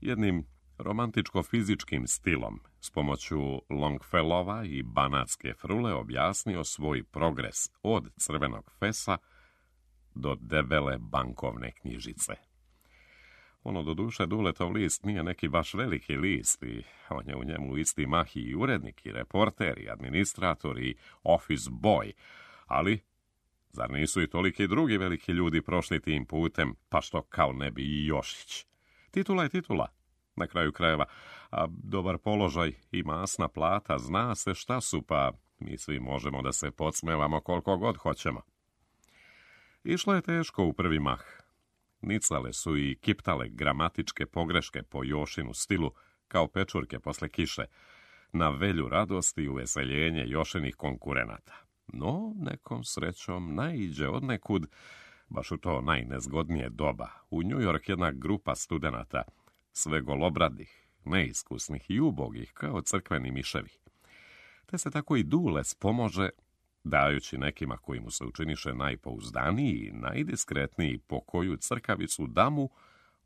jednim romantičko-fizičkim stilom s pomoću Longfellova i banatske frule objasnio svoj progres od crvenog fesa do debele bankovne knjižice. Ono, do duše, Duletov list nije neki baš veliki list i on je u njemu isti mah i urednik, i reporter, i administrator, i office boy, ali zar nisu i toliki drugi veliki ljudi prošli tim putem, pa što kao ne bi i Jošić? Titula je titula, na kraju krajeva, a dobar položaj i masna plata, zna se šta su, pa mi svi možemo da se podsmevamo koliko god hoćemo. Išlo je teško u prvi mah. Nicale su i kiptale gramatičke pogreške po Jošinu stilu, kao pečurke posle kiše, na velju radosti i uveseljenje Jošinih konkurenata. No, nekom srećom naiđe odnekud, baš u to najnezgodnije doba, u New York jedna grupa studenata, sve golobradih, neiskusnih i ubogih, kao crkveni miševi. Te se tako i Dule spomože, dajući nekima koji mu se učiniše najpouzdaniji i najdiskretniji po koju crkavicu damu,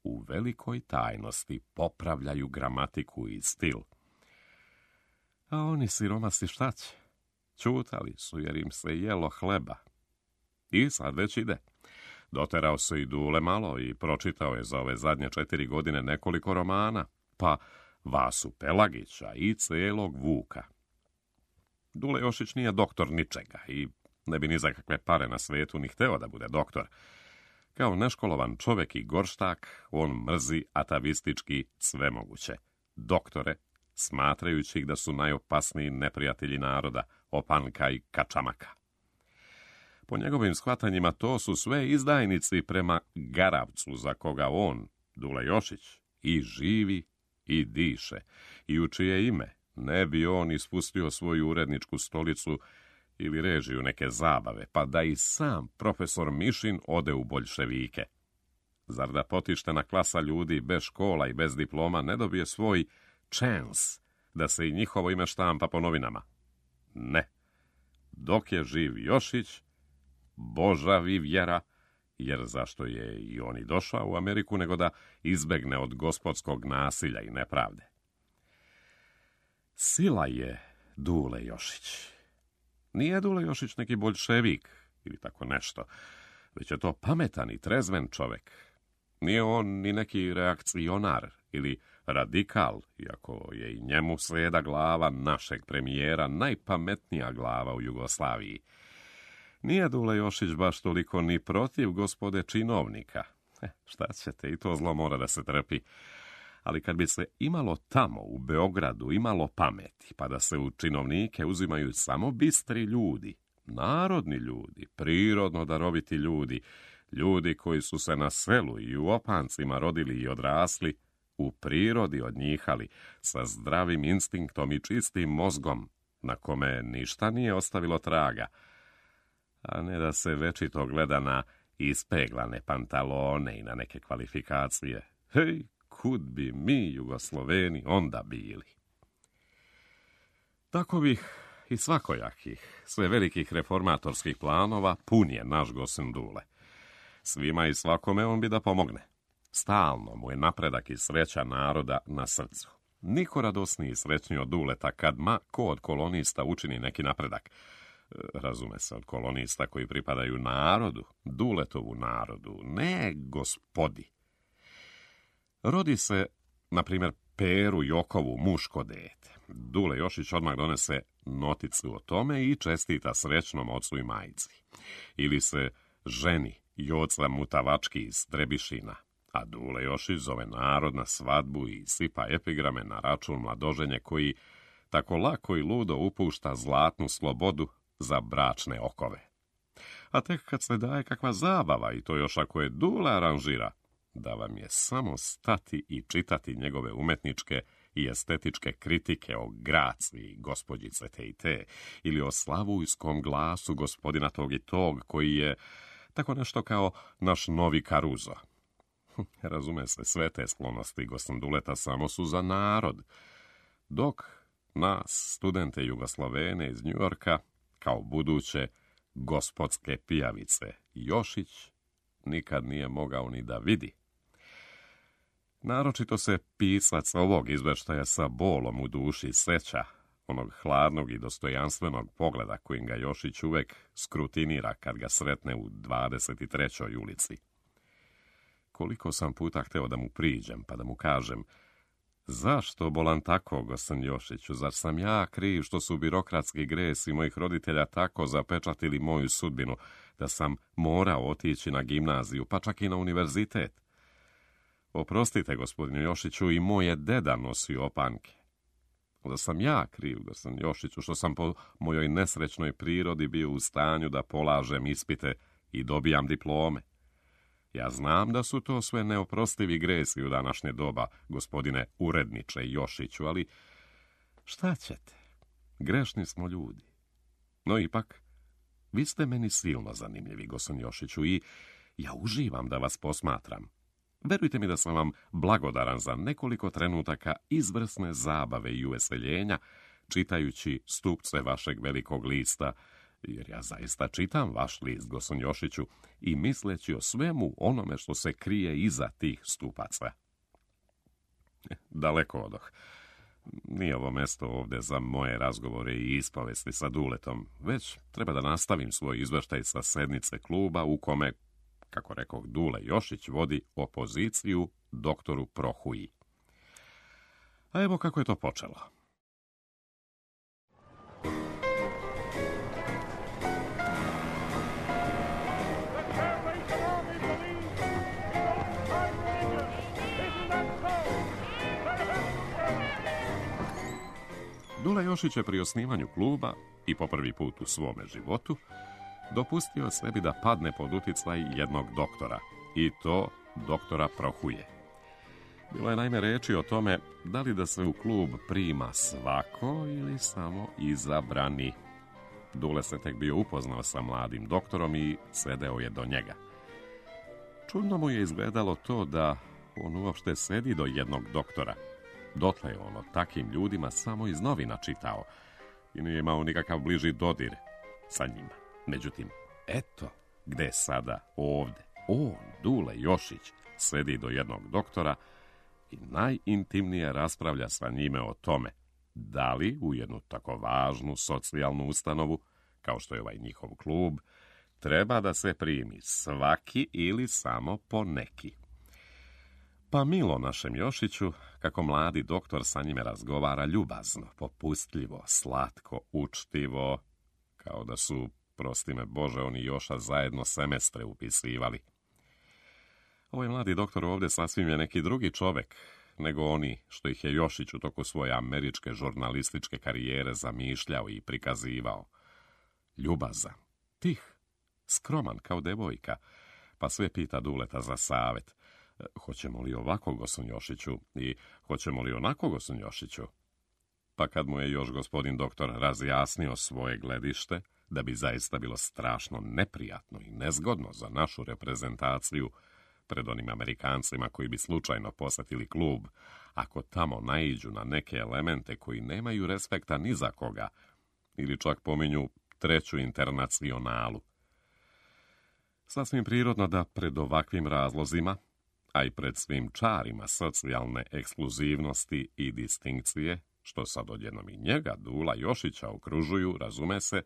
u velikoj tajnosti popravljaju gramatiku i stil. A oni siromasi šta će? Ćutali su jer im se jelo hleba. I sad već ide. Doterao se i Dule malo i pročitao je za ove zadnje četiri godine nekoliko romana, pa Vasu Pelagića i celog Vuka. Dule Jošić nije doktor ničega i ne bi ni za kakve pare na svetu ni hteo da bude doktor. Kao neškolovan čovek i gorštak, on mrzi atavistički sve moguće. Doktore, smatrajući ih da su najopasniji neprijatelji naroda, opanka i kačamaka. Po njegovim shvatanjima to su sve izdajnici prema Garavcu, za koga on, Dule Jošić, i živi i diše, i u čije ime ne bi on ispustio svoju uredničku stolicu ili režiju neke zabave, pa da i sam profesor Mišin ode u boljševike. Zar da potištena klasa ljudi bez škola i bez diploma ne dobije svoj chance da se i njihovo ime štampa po novinama? Ne. Dok je živ Jošić, božavi vjera, jer zašto je i on i došao u Ameriku nego da izbegne od gospodskog nasilja i nepravde. Sila je Dule Jošić. Nije Dule Jošić neki boljševik ili tako nešto, već je to pametan i trezven čovek. Nije on ni neki reakcionar ili radikal, iako je i njemu slijeda glava našeg premijera najpametnija glava u Jugoslaviji. Nije Dule Jošić baš toliko ni protiv gospode činovnika. E, šta ćete, i to zlo mora da se trpi. Ali kad bi se imalo tamo, u Beogradu, imalo pameti, pa da se u činovnike uzimaju samo bistri ljudi, narodni ljudi, prirodno daroviti ljudi, ljudi koji su se na selu i u opancima rodili i odrasli, u prirodi odnjihali, sa zdravim instinktom i čistim mozgom, na kome ništa nije ostavilo traga, a ne da se večito gleda na ispeglane pantalone i na neke kvalifikacije. Hej, kud bi mi, Jugosloveni, onda bili? Takovih i svakojakih, sve velikih reformatorskih planova pun je naš Gosen Dule. Svima i svakome on bi da pomogne. Stalno mu je napredak i sreća naroda na srcu. Niko radosniji i srećniji od Duleta kad ma ko od kolonista učini neki napredak. Razume se, od kolonista koji pripadaju narodu, Duletovu narodu, ne gospodi. Rodi se, na primjer, Peru Jokovu muško dete. Dule Jošić odmah donese noticu o tome i čestita srećnom ocu i majici. Ili se ženi Joca Mutavački iz Trebišina, a Dule Jošić zove narod na svadbu i sipa epigrame na račun mladoženje koji tako lako i ludo upušta zlatnu slobodu za bračne okove. A tek kad se daje kakva zabava, i to još ako je Dule aranžira, da vam je samo stati i čitati njegove umetničke i estetičke kritike o graciji gospođice te i te, ili o slavujskom glasu gospodina tog i tog, koji je tako nešto kao naš novi Karuzo. Razume se, sve te sklonosti Gosen Duleta samo su za narod, dok nas, studente Jugoslovene iz Njujorka, kao buduće gospodske pijavice, Jošić nikad nije mogao ni da vidi. Naročito se pisac ovog izveštaja sa bolom u duši seća onog hladnog i dostojanstvenog pogleda kojim ga Jošić uvek skrutinira kad ga sretne u dvadeset trećoj ulici. koliko sam puta hteo da mu priđem, pa da mu kažem: zašto bolan tako, gospodin Jošiću, zar sam ja kriv što su birokratski gresi mojih roditelja tako zapečatili moju sudbinu, da sam morao otići na gimnaziju, pa čak i na univerzitet? Oprostite, gospodinu Jošiću, i moje deda nosi opanke. Da sam ja kriv, gospodin Jošiću, što sam po mojoj nesrećnoj prirodi bio u stanju da polažem ispite i dobijam diplome. Ja znam da su to sve neoprostivi gresi u današnje doba, gospodine uredniče Jošiću, ali šta ćete? Grešni smo ljudi. No ipak, vi ste meni silno zanimljivi, gospodin Jošiću, i ja uživam da vas posmatram. Verujte mi da sam vam blagodaran za nekoliko trenutaka izvrsne zabave i uveseljenja, čitajući stupce vašeg velikog lista, jer ja zaista čitam vaš list, gospodin Jošiću, i misleći o svemu onome što se krije iza tih stupaca. Daleko odoh. Nije ovo mesto ovdje za moje razgovore i ispovesti sa Duletom, već treba da nastavim svoj izveštaj sa sednice kluba u kome, kako rekoh, Dule Jošić vodi opoziciju doktoru Prohuji. A evo kako je to počelo. Dule Jošić je pri osnivanju kluba i po prvi put u svome životu dopustio sebi da padne pod uticaj jednog doktora, i to doktora Prohuje. Bilo je naime reči o tome da li da se u klub prima svako ili samo izabrani. Dule se tek bio upoznao sa mladim doktorom i sedeo je do njega. Čudno mu je izgledalo to da on uopšte sedi do jednog doktora. Dotle je on o takim ljudima samo iz novina čitao i nije imao nikakav bliži dodir sa njima. Međutim, eto gde je sada ovde on, Dule Jošić, sedi do jednog doktora i najintimnije raspravlja sa njime o tome da li u jednu tako važnu socijalnu ustanovu, kao što je ovaj njihov klub, treba da se primi svaki ili samo po neki. Pa milo našem Jošiću, kako mladi doktor sa njime razgovara ljubazno, popustljivo, slatko, učtivo, kao da su, prosti me Bože, oni Joša zajedno semestre upisivali. Ovaj mladi doktor ovdje sasvim je neki drugi čovek nego oni što ih je Jošić u toku svoje američke žurnalističke karijere zamišljao i prikazivao. Ljubazan, tih, skroman kao devojka, pa sve pita Duleta za savet. Hoćemo li ovako, gospodin Jošiću, i hoćemo li onako, gospodin Jošiću? Pa kad mu je još gospodin doktor razjasnio svoje gledište, da bi zaista bilo strašno neprijatno i nezgodno za našu reprezentaciju pred onim Amerikancima koji bi slučajno posetili klub, ako tamo naiđu na neke elemente koji nemaju respekta ni za koga, ili čak pominju treću internacionalu. Sasvim prirodno da pred ovakvim razlozima, a i pred svim čarima socijalne ekskluzivnosti i distinkcije, što sad odjednom i njega, Dula Jošića, okružuju, razume se,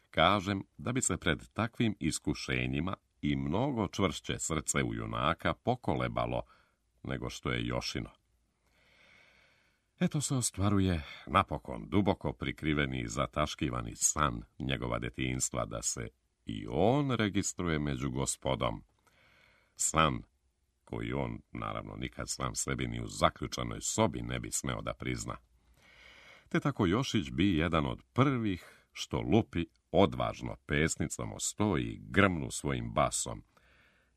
kažem da bi se pred takvim iskušenjima i mnogo čvršće srce u junaka pokolebalo nego što je Jošino. Eto se ostvaruje napokon duboko prikriveni i zataškivani san njegova detinjstva da se i on registruje među gospodom. San koji on, naravno, nikad sam sebi ni u zaključanoj sobi ne bi smeo da prizna. Te tako Jošić bi jedan od prvih što lupi odvažno pesnicom o sto i grmnu svojim basom.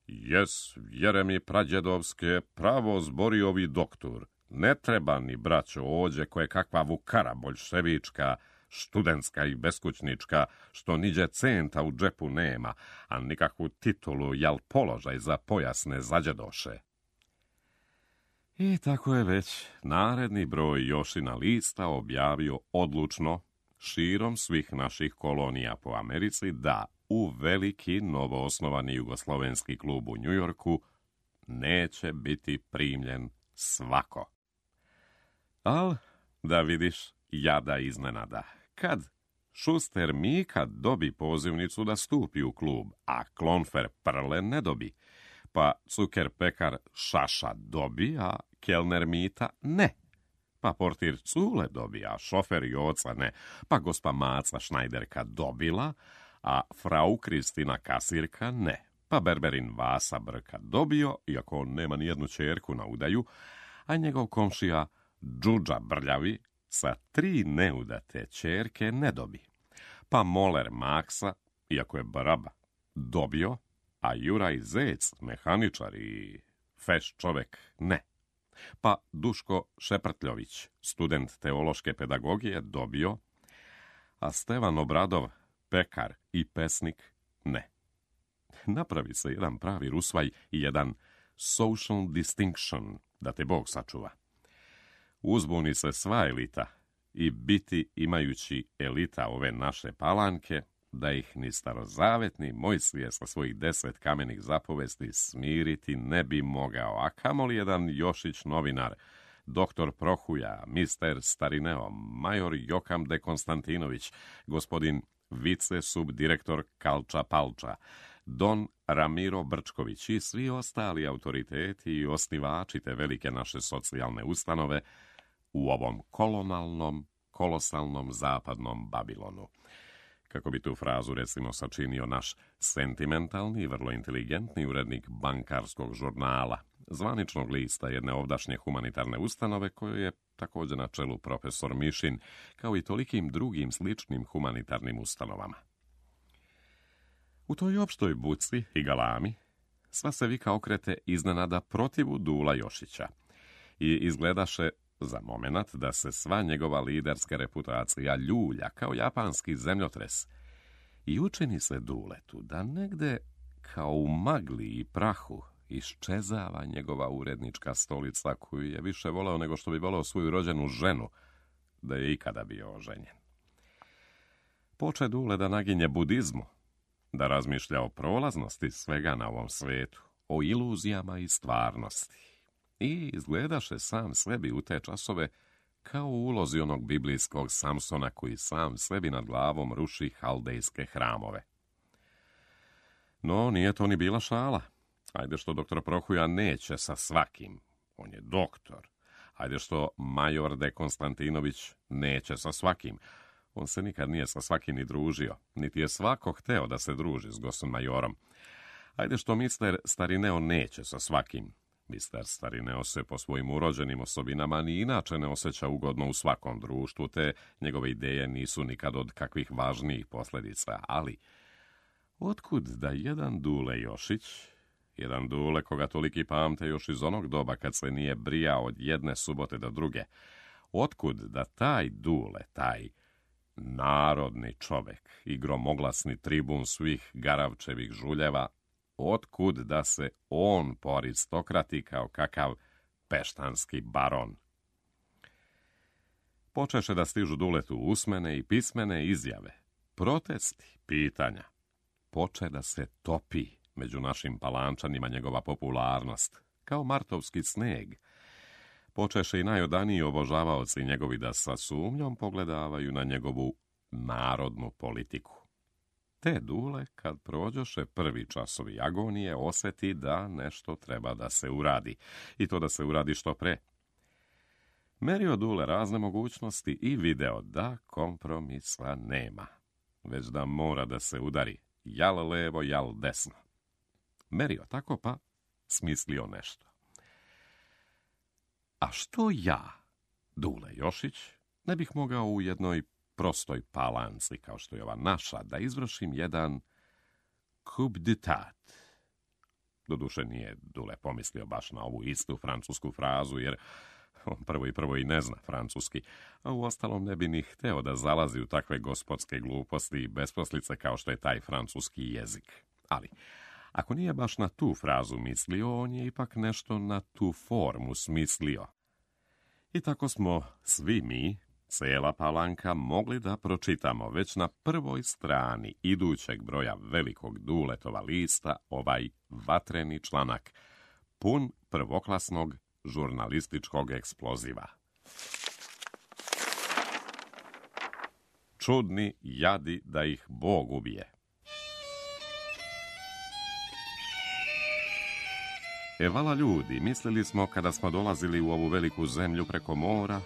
Jes, vjere mi prađedovske, pravo zbori ovi doktor. Ne treba ni, braćo, ođe koje kakva vukara boljševička, študentska i beskućnička, što niđe centa u džepu nema, a nikakvu titulu jal položaj za pojasne zađedoše. I tako je već naredni broj Jošina lista objavio odlučno širom svih naših kolonija po Americi da u veliki novoosnovani jugoslovenski klub u Njujorku neće biti primljen svako. Al, da vidiš, jada iznenada. Kad Šuster Mika dobi pozivnicu da stupi u klub, a Klonfer Prle ne dobi, Pa cuker pekar Šaša dobi, a kelner Mita ne. Pa portir Cule dobi, a šofer Joca ne. Pa gospa Maca Šnajderka dobila, a frau Kristina kasirka ne. Pa berberin Vasa Brka dobio, iako on nema nijednu čerku na udaju, a njegov komšija Džudža Brljavi sa tri neudate čerke ne dobi. Pa moler Maksa, iako je braba, dobio, a Juraj Zec, mehaničar i feš čovek, ne. Pa Duško Šeprtljović, student teološke pedagogije, dobio, a Stevan Obradov, pekar i pesnik, ne. Napravi se jedan pravi rusvaj i jedan social distinction, da te Bog sačuva. Uzbuni se sva elita i biti imajući elita ove naše Palanke, da ih ni starozavetni Mojsije sa svojih deset kamenih zapovesti smiriti ne bi mogao, a kamoli jedan Jošić novinar, doktor Prohuja, mister Starineo, major Jokam de Konstantinović, gospodin vice subdirektor Kalča Palča, don Ramiro Brčković i svi ostali autoriteti i osnivači te velike naše socijalne ustanove u ovom kolonalnom, kolosalnom zapadnom Babilonu. Kako bi tu frazu, recimo, sačinio naš sentimentalni i vrlo inteligentni urednik bankarskog žurnala, zvaničnog lista jedne ovdašnje humanitarne ustanove, koje je također na čelu profesor Mišin, kao i tolikim drugim sličnim humanitarnim ustanovama. U toj opštoj buci i galami sva se vika okrete iznenada protivu Dula Jošića i izgledaše za momenat da se sva njegova liderska reputacija ljulja kao japanski zemljotres i učini se Duletu da negde kao u magli i prahu iščezava njegova urednička stolica koju je više voleo nego što bi voleo svoju rođenu ženu da je ikada bio oženjen. Poče Dule da naginje budizmu, da razmišlja o prolaznosti svega na ovom svetu, o iluzijama i stvarnosti. I izgledaše sam sebi u te časove kao u ulozi onog biblijskog Samsona koji sam sebi nad glavom ruši haldejske hramove. No, nije to ni bila šala. Ajde što doktor Prohuja neće sa svakim, on je doktor. Ajde što major de Konstantinović neće sa svakim, on se nikad nije sa svakim ni družio, niti je svako hteo da se druži s gosom majorom. Ajde što mister Starineo neće sa svakim, mister Starineo se po svojim urođenim osobinama ni inače ne osjeća ugodno u svakom društvu, te njegove ideje nisu nikad od kakvih važnijih posljedica, ali otkud da jedan Dule Jošić, jedan Dule koga toliki pamte još iz onog doba kad se nije brijao od jedne subote do druge, otkud da taj Dule, taj narodni čovek i gromoglasni tribun svih Garavčevih žuljeva, otkud da se on poaristokrati kao kakav peštanski baron. Počeše da stižu Duletu usmene i pismene izjave, protesti, pitanja. Poče da se topi među našim Palančanima njegova popularnost, kao martovski sneg. Počeše i najodaniji obožavaoci njegovi da sa sumnjom pogledavaju na njegovu narodnu politiku. Te Dule, kad prođoše prvi časovi agonije, osjeti da nešto treba da se uradi, i to da se uradi što pre. Merio Dule razne mogućnosti i video da kompromisa nema, već da mora da se udari, jal levo, jal desno. Merio tako pa smislio nešto. A što ja, Dule Jošić, ne bih mogao u jednoj prostoj Palanci, kao što je ova naša, da izvršim jedan coup d'etat. Doduše nije Dule pomislio baš na ovu istu francusku frazu, jer on prvo i prvo i ne zna francuski, a u ostalom ne bi ni hteo da zalazi u takve gospodske gluposti i besposlice kao što je taj francuski jezik. Ali, ako nije baš na tu frazu mislio, on je ipak nešto na tu formu smislio. I tako smo svi mi, cijela Palanka, mogli da pročitamo već na prvoj strani idućeg broja velikog Duletova lista ovaj vatreni članak, pun prvoklasnog žurnalističkog eksploziva. Čudni jadi da ih Bog ubije. E, vala ljudi, mislili smo kada smo dolazili u ovu veliku zemlju preko mora,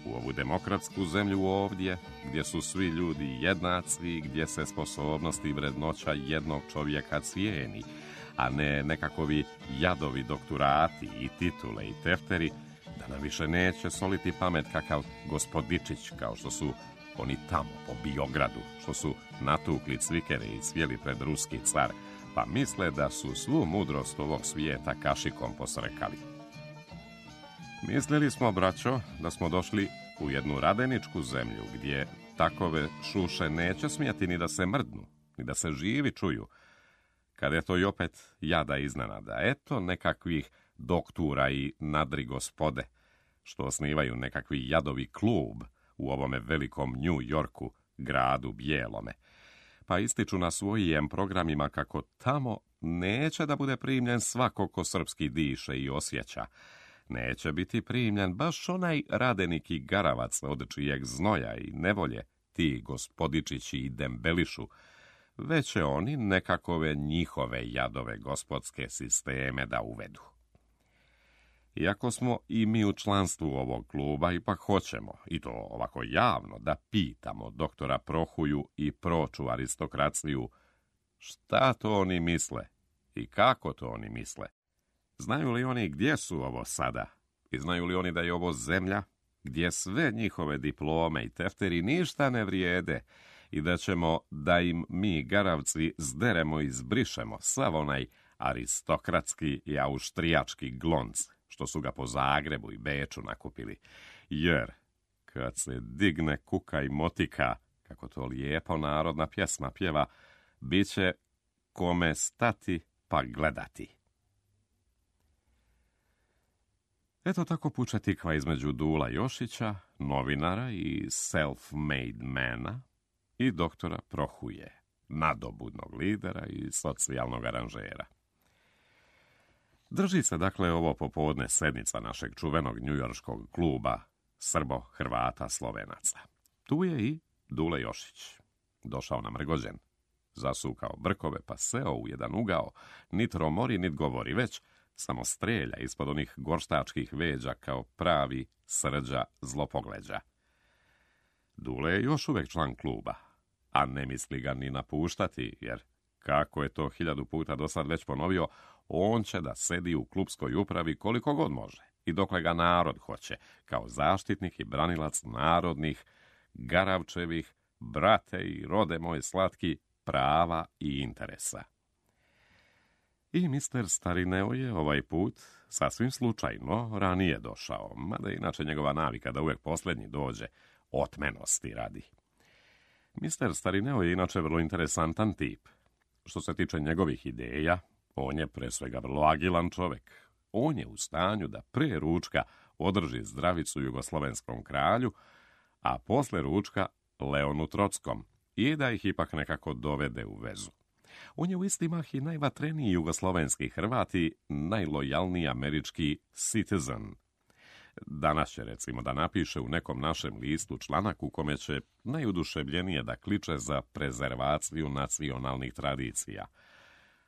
u ovu demokratsku zemlju ovdje, gdje su svi ljudi jednaci, gdje se sposobnosti i vrednoća jednog čovjeka cijeni, a ne nekakovi jadovi doktorati i titule i tefteri, da nam više neće soliti pamet kakav gospodičić, kao što su oni tamo po Biogradu, što su natukli cvikere i cvjeli pred ruski car, pa misle da su svu mudrost ovog svijeta kašikom posrekali. Mislili smo, braćo, da smo došli u jednu radeničku zemlju, gdje takove šuše neće smjeti ni da se mrdnu, ni da se živi čuju, kad je to i opet jada iznenada. Eto nekakvih doktora i nadri gospode, što osnivaju nekakvi jadovi klub u ovome velikom New Yorku, gradu bijelome, pa ističu na svojim programima kako tamo neće da bude primljen svako ko srpski diše i osjeća. Neće biti primljen baš onaj radenik i garavac od čijeg znoja i nevolje ti gospodičići i dembelišu, već će oni nekakove njihove jadove gospodske sisteme da uvedu. Iako smo i mi u članstvu ovog kluba, ipak hoćemo, i to ovako javno, da pitamo doktora Prohuju i proču aristokraciju šta to oni misle i kako to oni misle. Znaju li oni gdje su ovo sada? I znaju li oni da je ovo zemlja gdje sve njihove diplome i tefteri ništa ne vrijede i da ćemo da im mi garavci zderemo i zbrišemo sav onaj aristokratski i austrijački glonc što su ga po Zagrebu i Beču nakupili, jer kad se digne kuka i motika, kako to lijepo narodna pjesma pjeva, bit će kome stati pa gledati. Eto tako puče tikva između Dula Jošića, novinara i self-made mana, i doktora Prohuje, nadobudnog lidera i socijalnog aranžera. Drži se dakle ovo popodne sednica našeg čuvenog njujorškog kluba Srbo-Hrvata-Slovenaca. Tu je i Dule Jošić. Došao namrgođen, zasukao brkove pa seo u jedan ugao, nit romori nit govori, već samo strelja ispod onih gorštačkih veđa kao pravi srđa zlopogleđa. Dule je još uvijek član kluba, a ne misli ga ni napuštati, jer kako je to hiljadu puta do sad već ponovio, on će da sedi u klubskoj upravi koliko god može i dokle ga narod hoće, kao zaštitnik i branilac narodnih, garavčevih, brate i rode moj slatki, prava i interesa. I mister Starineo je ovaj put sasvim slučajno ranije došao, mada inače njegova navika da uvijek posljednji dođe, otmenosti radi. mister Starineo je inače vrlo interesantan tip. Što se tiče njegovih ideja, on je pre svega vrlo agilan čovjek. On je u stanju da pre ručka održi zdravicu jugoslovenskom kralju, a posle ručka Leonu Trockom, i da ih ipak nekako dovede u vezu. On je u isti mah i najvatreniji jugoslovenski Hrvat i najlojalniji američki citizen. Danas će recimo da napiše u nekom našem listu članak u kome će najuduševljenije da kliče za prezervaciju nacionalnih tradicija.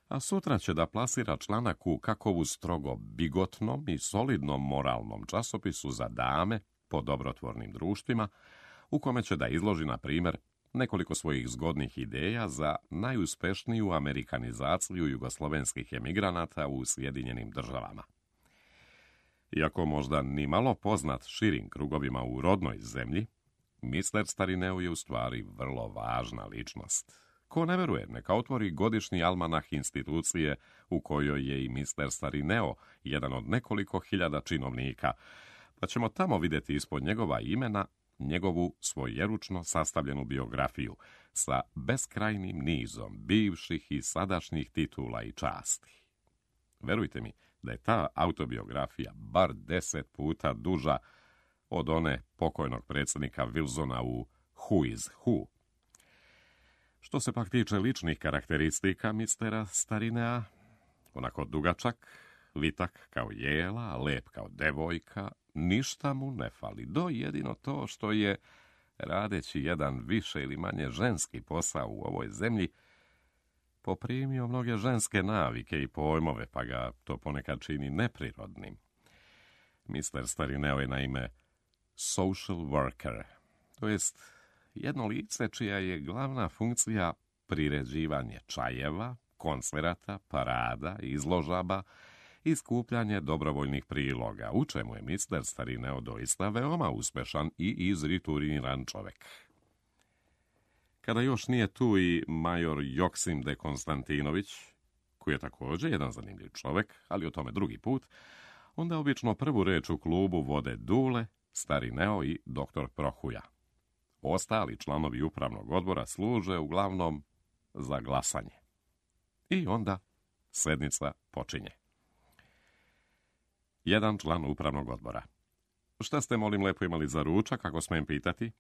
A sutra će da plasira članak u kakovu strogo bigotnom i solidnom moralnom časopisu za dame po dobrotvornim društvima, u kome će da izloži, na primjer, nekoliko svojih zgodnih ideja za najuspešniju amerikanizaciju jugoslovenskih emigranata u Sjedinjenim državama. Iako možda ni malo poznat širim krugovima u rodnoj zemlji, mister Starineo je u stvari vrlo važna ličnost. Ko ne veruje, neka otvori godišnji almanah institucije u kojoj je i mister Starineo jedan od nekoliko hiljada činovnika, pa ćemo tamo vidjeti ispod njegova imena njegovu svojeručno sastavljenu biografiju sa beskrajnim nizom bivših i sadašnjih titula i časti. Verujte mi da je ta autobiografija bar deset puta duža od one pokojnog predsjednika Wilsona u Who is Who. Što se pak tiče ličnih karakteristika mistera Starinea, onako dugačak, vitak kao jela, lep kao devojka, ništa mu ne fali, do jedino to što je, radeći jedan više ili manje ženski posao u ovoj zemlji, poprimio mnoge ženske navike i pojmove, pa ga to ponekad čini neprirodnim. mister Starineo je naime social worker, to jest jedno lice čija je glavna funkcija priređivanje čajeva, koncerata, parada, izložaba i skupljanje dobrovoljnih priloga, u čemu je mister Starineo doista veoma uspešan i izrituriran čovek. Kada još nije tu i major Joksim de Konstantinović, koji je također jedan zanimljiv čovek, ali o tome drugi put, onda obično prvu reč u klubu vode Dule, Starineo i doktor Prohuja. Ostali članovi upravnog odbora služe uglavnom za glasanje. I onda sednica počinje. Jedan član upravnog odbora. Šta ste, molim lepo, imali za ručak, ako smijem pitati?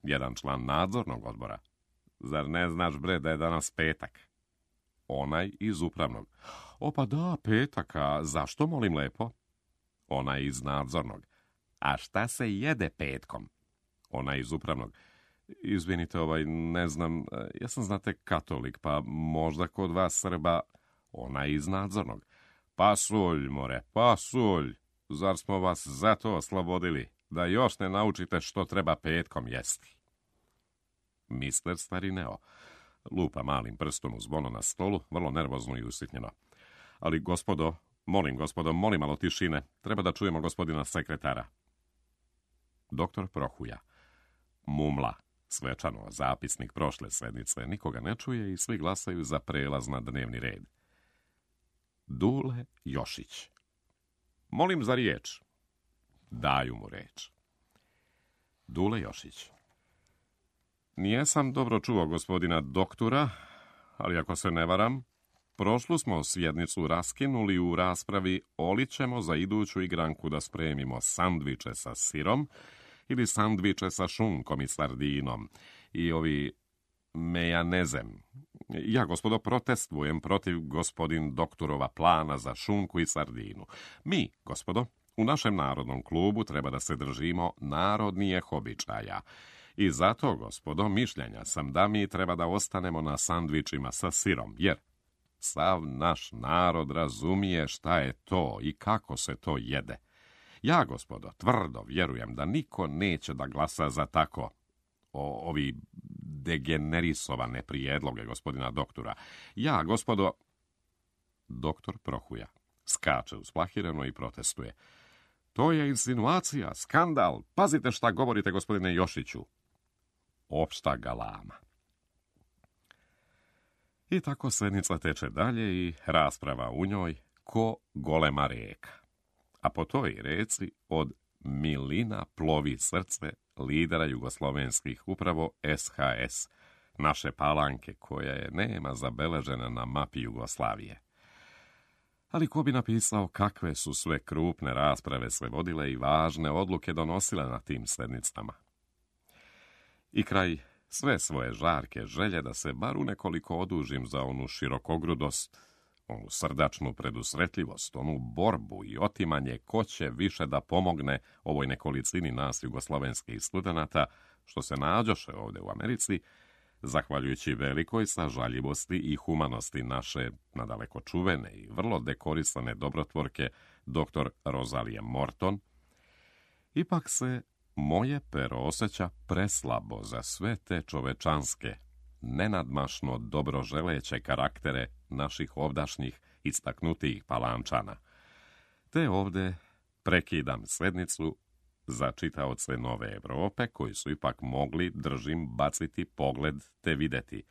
Jedan član nadzornog odbora. Zar ne znaš, bre, da je danas petak? Onaj iz upravnog. O, pa da, petak, a zašto, molim lepo? Onaj iz nadzornog. A šta se jede petkom? Onaj iz upravnog. Izvinite, ovaj, ne znam, ja sam, znate, katolik, pa možda kod vas Srba. Onaj iz nadzornog. Pasulj, more, pasulj. Zar smo vas zato oslobodili, da još ne naučite što treba petkom jesti? mister Starineo lupa malim prstom u zvono na stolu, vrlo nervozno i usitnjeno. Ali, gospodo, molim, gospodo, molim malo tišine. Treba da čujemo gospodina sekretara. Doktor Prohuja mumla svečano zapisnik prošle sednice. Nikoga ne čuje i svi glasaju za prelaz na dnevni red. Dule Jošić. Molim za riječ. Daju mu reč. Dule Jošić. Nijesam dobro čuo gospodina doktora, ali ako se ne varam, prošlu smo sjednicu raskinuli u raspravi olićemo za iduću igranku da spremimo sandviče sa sirom ili sandviče sa šunkom i sardinom i ovi mejanezem. Ja, gospodo, protestujem protiv gospodin doktorova plana za šunku i sardinu. Mi, gospodo, u našem narodnom klubu treba da se držimo narodnijih običaja. I zato, gospodo, mišljenja sam da mi treba da ostanemo na sandvičima sa sirom, jer sav naš narod razumije šta je to i kako se to jede. Ja, gospodo, tvrdo vjerujem da niko neće da glasa za tako o, ovi degenerisovane prijedloge gospodina doktora. Ja, gospodo... Doktor Prohuja skače usplahireno i protestuje. To je insinuacija, skandal. Pazite šta govorite, gospodine Jošiću. Opšta galama. I tako sednica teče dalje i rasprava u njoj ko golema reka. A po toj reci od milina plovi srce lidera jugoslovenskih, upravo S H S, naše Palanke, koja je nema zabeležena na mapi Jugoslavije. Ali ko bi napisao kakve su sve krupne rasprave sve vodile i važne odluke donosile na tim sednicama. I kraj sve svoje žarke želje da se bar u nekoliko odužim za onu širokogrudost, onu srdačnu predusretljivost, onu borbu i otimanje ko će više da pomogne ovoj nekolicini nas jugoslovenskih studenata, što se nađoše ovdje u Americi, zahvaljujući velikoj sažaljivosti i humanosti naše nadaleko čuvene i vrlo dekorisane dobrotvorke doktor Rozalije Morton, ipak se moje pero osjeća preslabo za sve te čovečanske, nenadmašno dobroželeće karaktere naših ovdašnjih istaknutijih Palančana. Te ovde prekidam sednicu za čitaoce Nove Evrope, koji su ipak mogli, držim, baciti pogled te videti.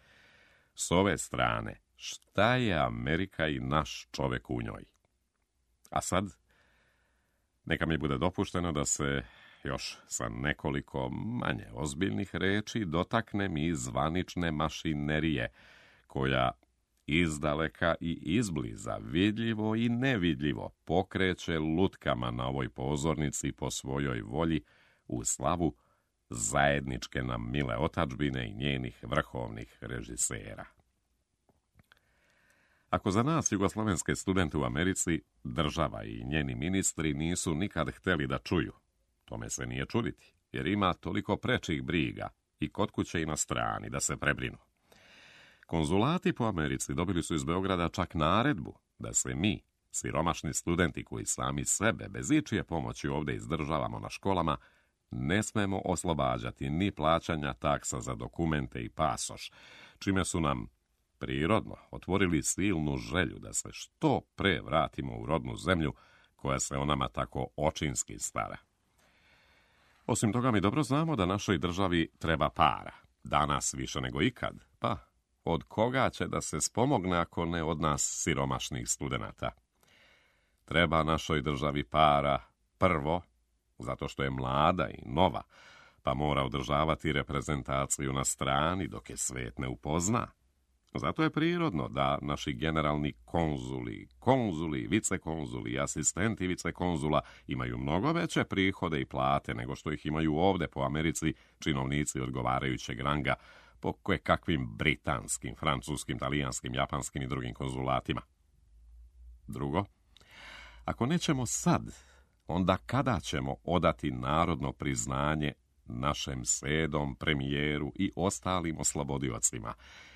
S ove strane, šta je Amerika i naš čovek u njoj? A sad, neka mi bude dopušteno da se još sa nekoliko manje ozbiljnih reči dotaknem i zvanične mašinerije, koja izdaleka i izbliza, vidljivo i nevidljivo, pokreće lutkama na ovoj pozornici po svojoj volji u slavu zajedničke nam mile otadžbine i njenih vrhovnih režisera. Ako za nas jugoslovenske studente u Americi država i njeni ministri nisu nikad hteli da čuju, tome se nije čuditi, jer ima toliko prečih briga i kod kuće i na strani da se prebrinu. Konzulati po Americi dobili su iz Beograda čak naredbu da se mi, siromašni studenti koji sami sebe bez ičije pomoći ovdje izdržavamo na školama, ne smemo oslobađati ni plaćanja taksa za dokumente i pasoš, čime su nam prirodno otvorili silnu želju da se što pre vratimo u rodnu zemlju koja se o nama tako očinski stara. Osim toga, mi dobro znamo da našoj državi treba para, danas više nego ikad, pa od koga će da se spomogne ako ne od nas siromašnih studenata? Treba našoj državi para prvo, zato što je mlada i nova, pa mora održavati reprezentaciju na strani dok je svet ne upozna. Zato je prirodno da naši generalni konzuli, konzuli, vicekonzuli i asistenti vicekonzula imaju mnogo veće prihode i plate nego što ih imaju ovdje po Americi činovnici odgovarajućeg ranga po kakvim britanskim, francuskim, talijanskim, japanskim i drugim konzulatima. Drugo, ako nećemo sad, onda kada ćemo odati narodno priznanje našem sedom, premijeru i ostalim oslobodiocima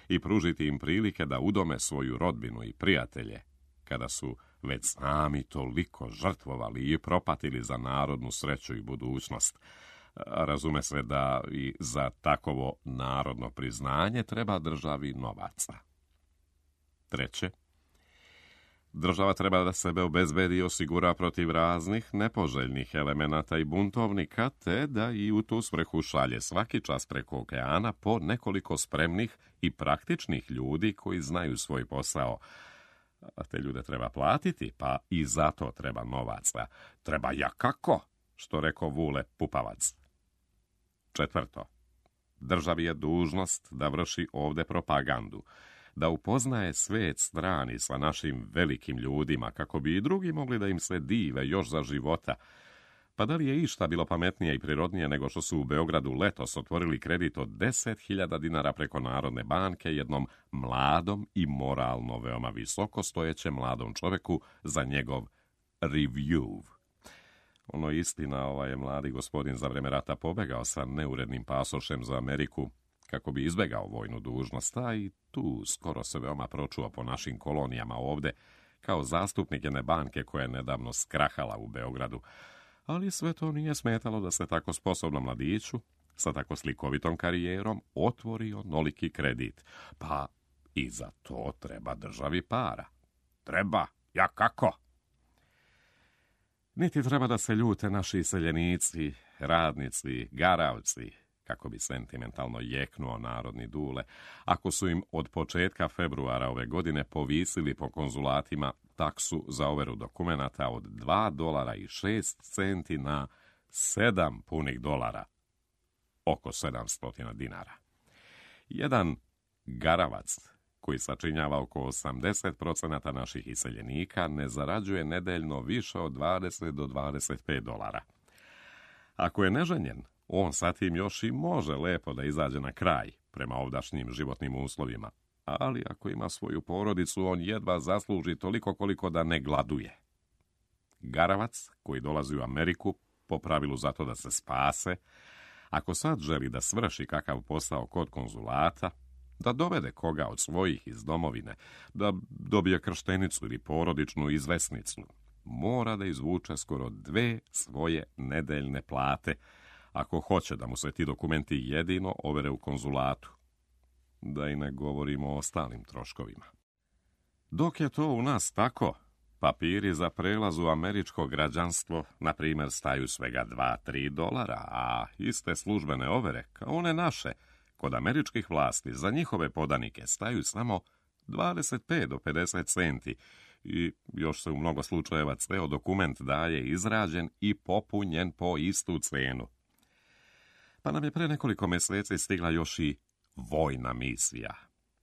i pružiti im prilike da udome svoju rodbinu i prijatelje, kada su već sami toliko žrtvovali i propatili za narodnu sreću i budućnost? Razume se da i za takovo narodno priznanje treba državi novaca. Treće, država treba da sebe obezbedi i osigura protiv raznih nepoželjnih elemenata i buntovnika, te da i u tu svrhu šalje svaki čas preko okeana po nekoliko spremnih i praktičnih ljudi koji znaju svoj posao. A te ljude treba platiti, pa i zato treba novaca. Treba jakako, što rekao Vule Pupavac. Četvrto, državi je dužnost da vrši ovde propagandu, da upoznaje svet strani sa našim velikim ljudima, kako bi i drugi mogli da im se dive još za života. Pa da li je išta bilo pametnije i prirodnije nego što su u Beogradu letos otvorili kredit od deset hiljada dinara preko Narodne banke jednom mladom i moralno veoma visoko stojećem mladom čoveku za njegov review. Ono istina, ovaj je mladi gospodin za vreme rata pobegao sa neurednim pasošem za Ameriku kako bi izbegao vojnu dužnost, a i tu skoro se veoma pročuo po našim kolonijama ovde, kao zastupnik jedne banke koja je nedavno skrahala u Beogradu. Ali sve to nije smetalo da se tako sposobnom mladiću, sa tako slikovitom karijerom, otvori onoliki kredit. Pa i za to treba državi para. Treba, ja kako? Niti treba da se ljute naši iseljenici, radnici, garavci, kako bi sentimentalno jeknuo narodni Dule, ako su im od početka februara ove godine povisili po konzulatima taksu za overu dokumenata od dva dolara i šest centi na sedam punih dolara, oko sedamsto dinara. Jedan garavac, koji sačinjava oko osamdeset procenata naših iseljenika, ne zarađuje nedeljno više od dvadeset do dvadeset pet dolara. Ako je neženjen, on sa tim još i može lepo da izađe na kraj prema ovdašnjim životnim uslovima, ali ako ima svoju porodicu, on jedva zasluži toliko koliko da ne gladuje. Garavac, koji dolazi u Ameriku, po pravilu zato da se spase, ako sad želi da svrši kakav posao kod konzulata, da dovede koga od svojih iz domovine, da dobije krštenicu ili porodičnu izvesnicu, mora da izvuče skoro dve svoje nedeljne plate, ako hoće da mu se ti dokumenti jedino overe u konzulatu. Da i ne govorimo o ostalim troškovima. Dok je to u nas tako, papiri za prelaz u američko građanstvo, na primjer, staju svega dva do tri dolara, a iste službene overe, kao one naše, kod američkih vlasti za njihove podanike staju samo dvadeset pet do pedeset centi i još se u mnogo slučajeva ceo dokument daje izrađen i popunjen po istu cenu. Pa nam je pre nekoliko meseci stigla još i vojna misija.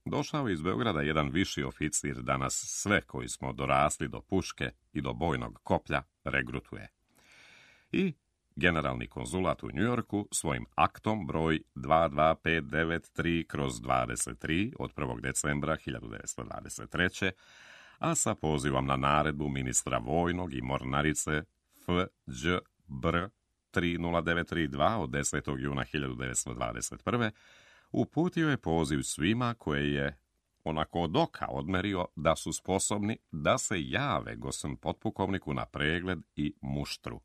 Došao iz Beograda jedan viši oficir da nas sve koji smo dorasli do puške i do bojnog koplja regrutuje. I generalni konzulat u Njujorku svojim aktom broj dva dva pet devet tri kroz dvadeset tri od prvog decembra hiljadu devetsto dvadeset treće a sa pozivom na naredbu ministra vojnog i mornarice F Đ B R tri nula devet tri dva od desetog juna hiljadu devetsto dvadeset prve uputio je poziv svima koje je onako od oka odmerio da su sposobni da se jave gosem potpukovniku na pregled i muštru.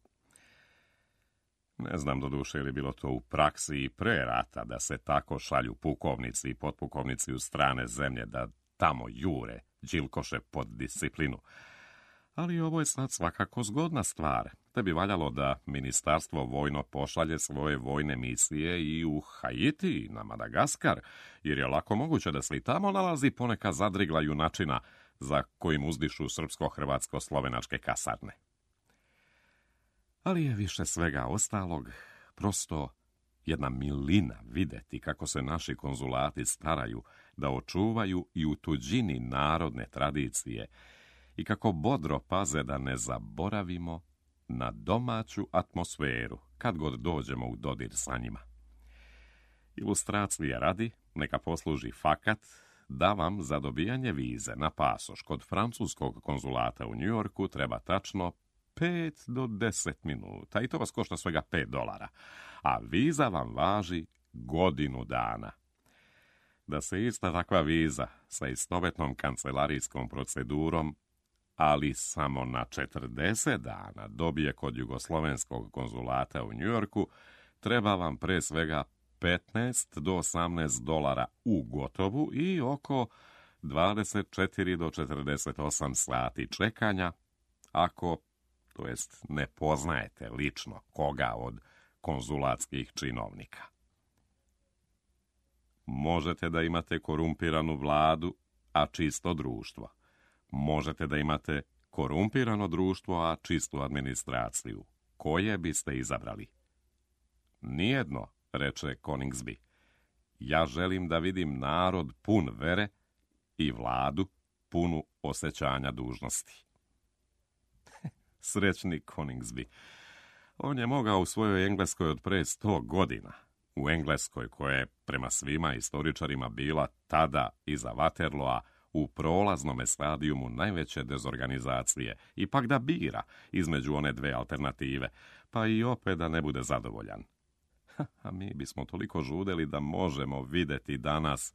Ne znam doduše li bilo to u praksi i pre rata da se tako šalju pukovnici i potpukovnici u strane zemlje da tamo jure đilkoše pod disciplinu. Ali ovo je sad svakako zgodna stvar, te bi valjalo da ministarstvo vojno pošalje svoje vojne misije i u Haiti i na Madagaskar, jer je lako moguće da se i tamo nalazi poneka zadrigla junačina za kojim uzdišu srpsko-hrvatsko-slovenačke kasarne. Ali je više svega ostalog prosto jedna milina videti kako se naši konzulati staraju da očuvaju i u tuđini narodne tradicije i kako bodro paze da ne zaboravimo na domaću atmosferu kad god dođemo u dodir sa njima. Ilustracije radi, neka posluži fakat da vam za dobijanje vize na pasoš kod francuskog konzulata u Njujorku treba tačno pet do deset minuta i to vas košta svega pet dolara, a viza vam važi godinu dana. Da se ista takva viza sa istovetnom kancelarijskom procedurom, ali samo na četrdeset dana dobije kod jugoslovenskog konzulata u Njujorku, treba vam pre svega petnaest do osamnaest dolara u gotovu i oko dvadeset četiri do četrdeset osam sati čekanja, ako, to jest, ne poznajete lično koga od konzulatskih činovnika. Možete da imate korumpiranu vladu, a čisto društvo. Možete da imate korumpirano društvo, a čistu administraciju. Koje biste izabrali? Nijedno, reče Coningsby. Ja želim da vidim narod pun vere i vladu punu osjećanja dužnosti. Srećni Coningsby. On je mogao u svojoj Engleskoj od pre sto godina. U Engleskoj koja je prema svima istoričarima bila tada iza Waterloa u prolaznome stadijumu najveće dezorganizacije, ipak da bira između one dve alternative, pa i opet da ne bude zadovoljan. A mi bismo toliko žudeli da možemo videti danas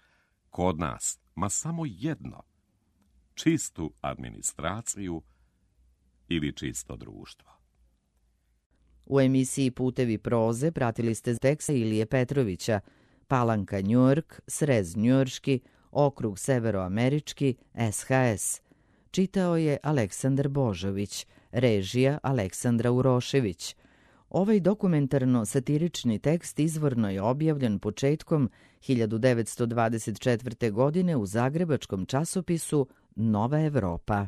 kod nas, ma samo jedno, čistu administraciju ili čisto društvo. U emisiji Putevi proze pratili ste teksta Ilije Petrovića, Palanka Njujork, Srez njujorški, Okrug severoamerički, S H S. Čitao je Aleksandar Božović, režija Aleksandra Urošević. Ovaj dokumentarno-satirični tekst izvorno je objavljen početkom hiljadu devetsto dvadeset četvrte. godine u zagrebačkom časopisu Nova Evropa.